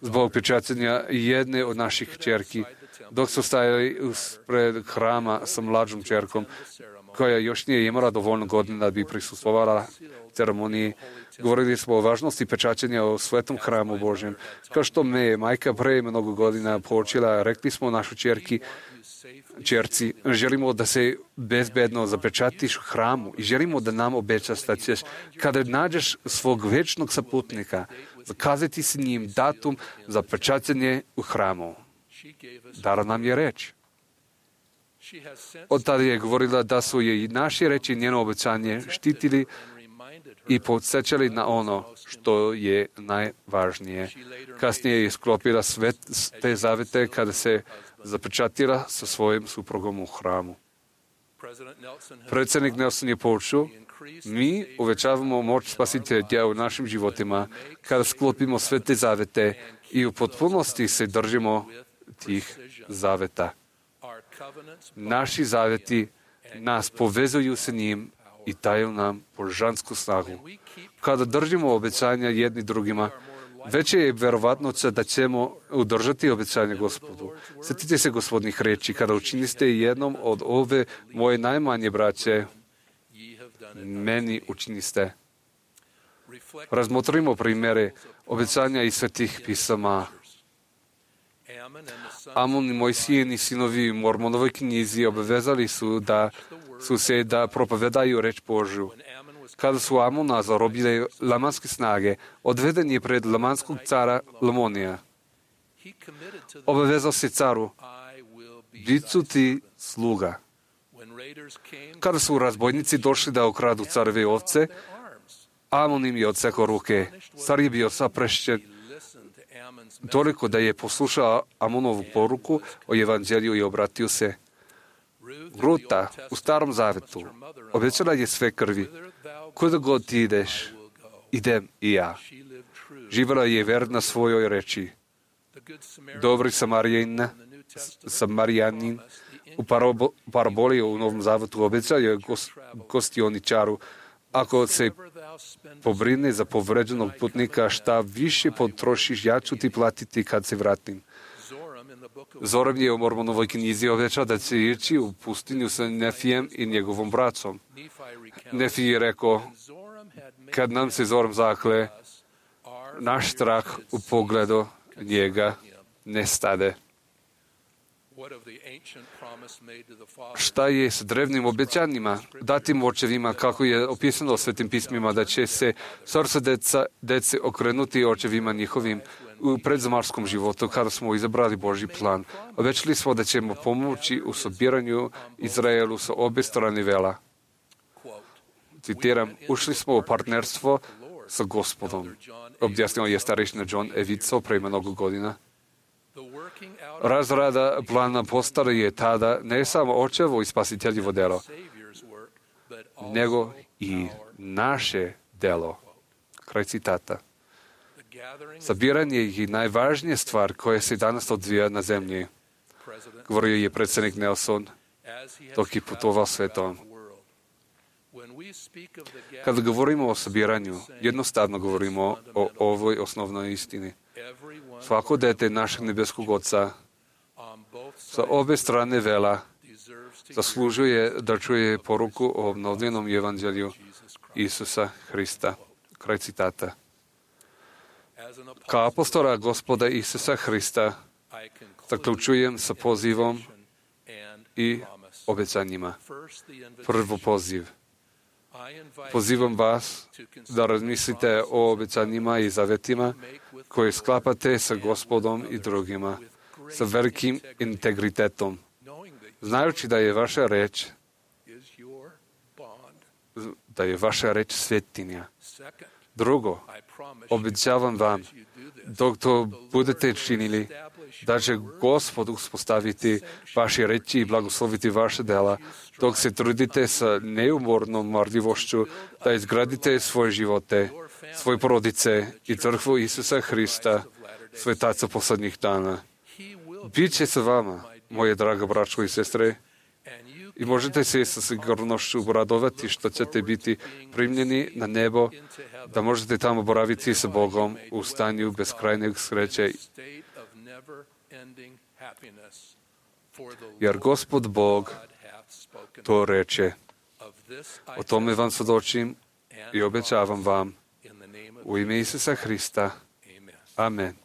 Speaker 3: zbog pečaćenja jedne od naših kćerki, dok su stajali pred hrama sa mlađom kćerkom, koja još nije imala dovoljno godina da bi prisustvovala ceremoniji. Govorili smo o važnosti pečaćenja u svetom hramu Božjem. Kao što me je majka pre mnogo godina poučila, rekli smo našoj kćerci, želimo da se bezbedno zapečatiš u hramu i želimo da nam obećaš da ćeš, kada nađeš svog večnog saputnika, zakazati s njim datum za pečaćenje u hramu. Dala nam je reč. Od tada je govorila da su je i naše reči njeno obećanje štitili i podsjećali na ono što je najvažnije. Kasnije je sklopila sve te zavete kada se zapečatila sa svojim suprugom u hramu. Predsjednik Nelson je poučio, mi uvećavamo moć spasitelja u našim životima kada sklopimo sve te zavete i u potpunosti se držimo tih zaveta. Naši zaveti nas povezuju sa njim i daju nam božansku snagu. Kada držimo obećanja jedni drugima, veće je verovatnoća da ćemo udržati obećanje Gospodu. Sjetite se Gospodnih reči, kada učiniste jednom od ove moje najmanje braće, meni učiniste. Razmotrimo primjere obećanja iz svetih pisama. Amon i Mojsijini sinovi u Mormonovoj knjizi obavezali su se da propovedaju reč Božju. Kada su Amona zarobile lamanske snage, odveden je pred lamanskog cara Lamonija. Obavezao se caru, bit ću ti sluga. Kada su razbojnici došli da ukradu careve ovce, Amon im je odsekao ruke. Car je bio saprešćen toliko da je poslušao Amonovu poruku o evanđelju i obratio se. Ruta u Starom Zavetu obećala je sve krvi. Kuda god ti ideš, idem i ja. Živjela je verna svojoj reči. Dobri Samarijanin u paraboli u Novom Zavetu obećao je gostioničaru, ako se pobrine za povređenog putnika, šta više potrošiš, ja ću ti platiti kad se vratim. Zoram je u Mormonovoj knjizi obećao da će ići u pustinju sa Nefijem i njegovom bracom. Nefi je rekao, kad nam se Zoram zakle, naš strah u pogledu njega nestade. Šta je s drevnim obećanjima, datim očevima, kako je opisano u Svetim pismima, da će se srce dece okrenuti očevima njihovim u predzemarskom životu, kada smo izabrali Božji plan. Obećali smo da ćemo pomoći u sobiranju Izraelu sa obe strane vela. Citiram, ušli smo u partnerstvo sa Gospodom. Objasnio je starešina John Evico pre mnogo godina. Razrada plana postara je tada ne samo očevo i spasiteljivo delo, nego i naše delo. Kraj citata. Sabiranje je najvažnija stvar koja se danas odvija na zemlji. Govorio je predsjednik Nelson dok je putovao svetom. Kada govorimo o sabiranju, jednostavno govorimo o ovoj osnovnoj istini. Svako dete našeg nebeskog Oca sa obe strane vela zaslužuje da čuje poruku o obnovljenom evanđelju Isusa Hrista. Kraj citata. Kao apostola Gospoda Isusa Hrista zaključujem sa pozivom i obećanjima. Prvo poziv. Pozivam vas da razmislite o obećanjima i zavetima koje sklapate sa Gospodom i drugima, sa velikim integritetom, znajući da je vaša reč svetinja. Drugo, obećavam vam, dok to budete činili, da će Gospod uspostaviti vaše reči i blagosloviti vaše dela, dok se trudite sa neumornom marljivošću da izgradite svoje živote, svoje porodice i crkvu Isusa Hrista, svetaca poslednjih dana. Biće sa vama, moje draga braćo i sestre, i možete se sa sigurnošću radovati što ćete biti primljeni na nebo, da možete tamo boraviti sa Bogom u stanju beskrajnog sreće. Jer Gospod Bog to reče. O tome vam svedočim i obećavam vam u ime Isusa Hrista. Amen.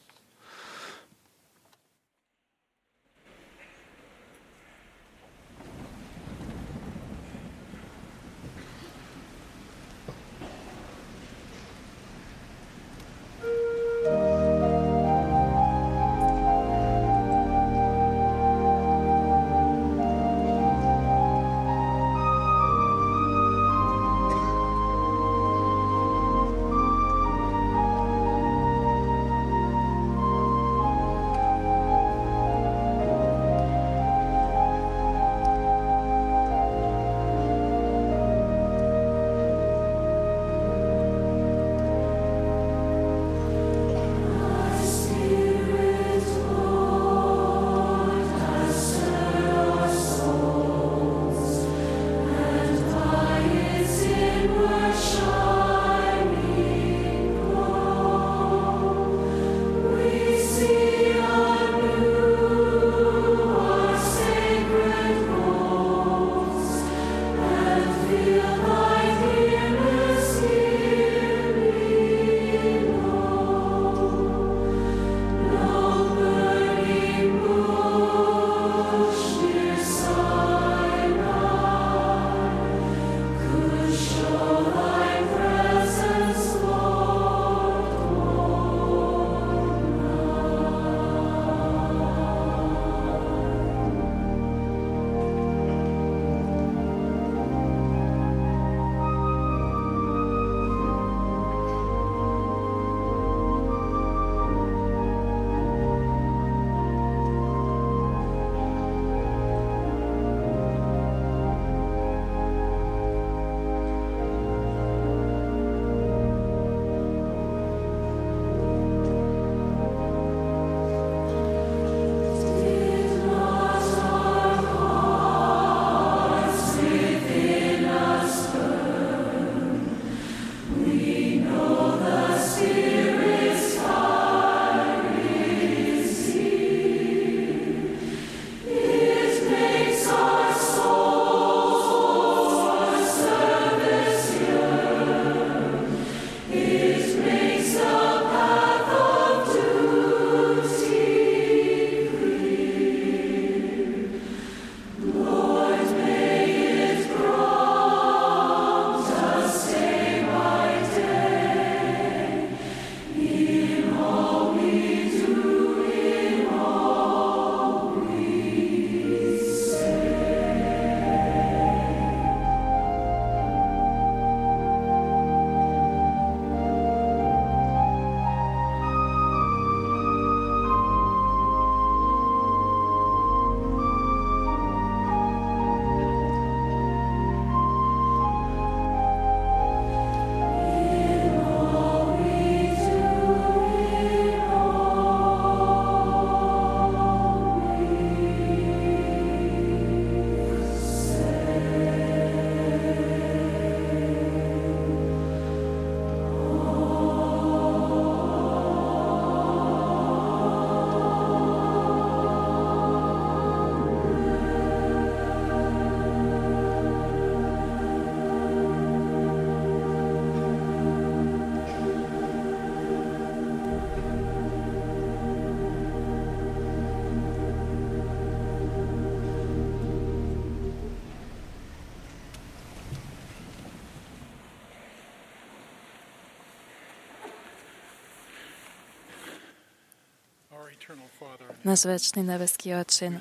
Speaker 6: Naš večni nebeski Oče,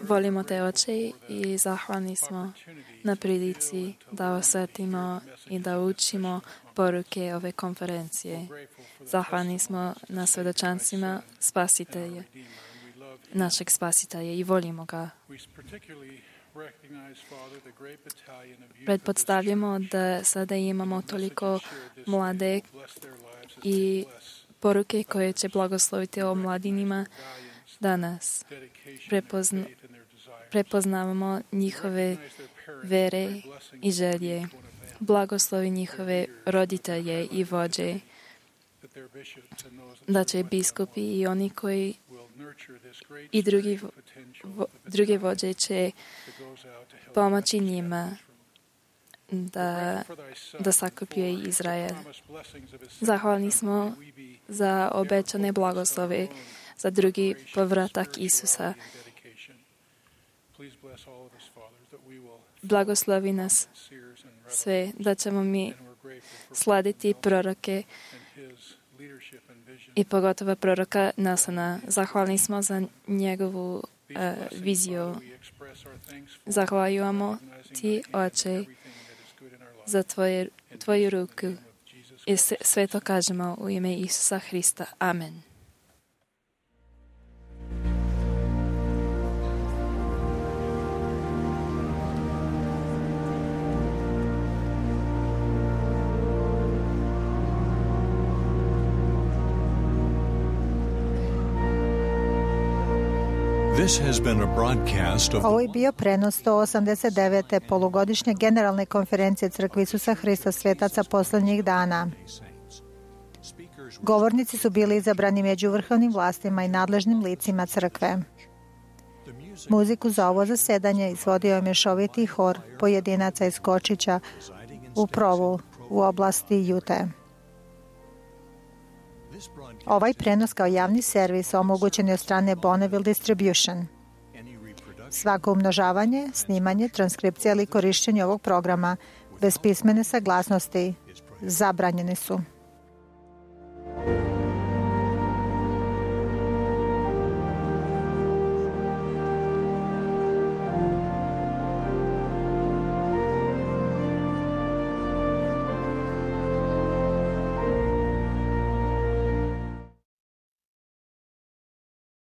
Speaker 6: volimo Te, Oče, i zahvalni smo na prilici da osvetimo i da učimo poruke ove konferencije. Zahvalni smo na svedočanstvima Spasitelja, našeg Spasitelja, i volimo ga. Pretpostavljamo da sada imamo toliko mlade i poruke koje će blagosloviti o mladinima danas. Prepoznavamo njihove vere i želje. Blagoslovi njihove roditelje i vođe, da će biskupi i oni koji i druge vođe će pomoći njima da sakupuje Izrael. Zahvalni smo za obećane blagoslove za drugi povratak Isusa. Blagoslovi nas sve da ćemo mi slediti proroke i pogotovo proroka Nelsona. Zahvalni smo za njegovu viziju. Zahvaljujemo Ti, Oče, za Tvoju ruku. I sve to kažemo u ime Isusa Hrista. Amen.
Speaker 7: This has been a broadcast of
Speaker 2: Ovo je bio prenos 189. polugodišnje generalne konferencije Crkve Isusa Hrista svetaca posljednjih dana. Govornici su bili izabrani među vrhovnim vlastima i nadležnim licima Crkve. Muziku za ovo zasedanje izvodio je mješoviti hor pojedinaca iz Kočića u Provu u oblasti Ute. Ovaj prenos kao javni servis omogućen je od strane Bonneville Distribution. Svako umnožavanje, snimanje, transkripcija ili korištenje ovog programa bez pismene saglasnosti zabranjeni su.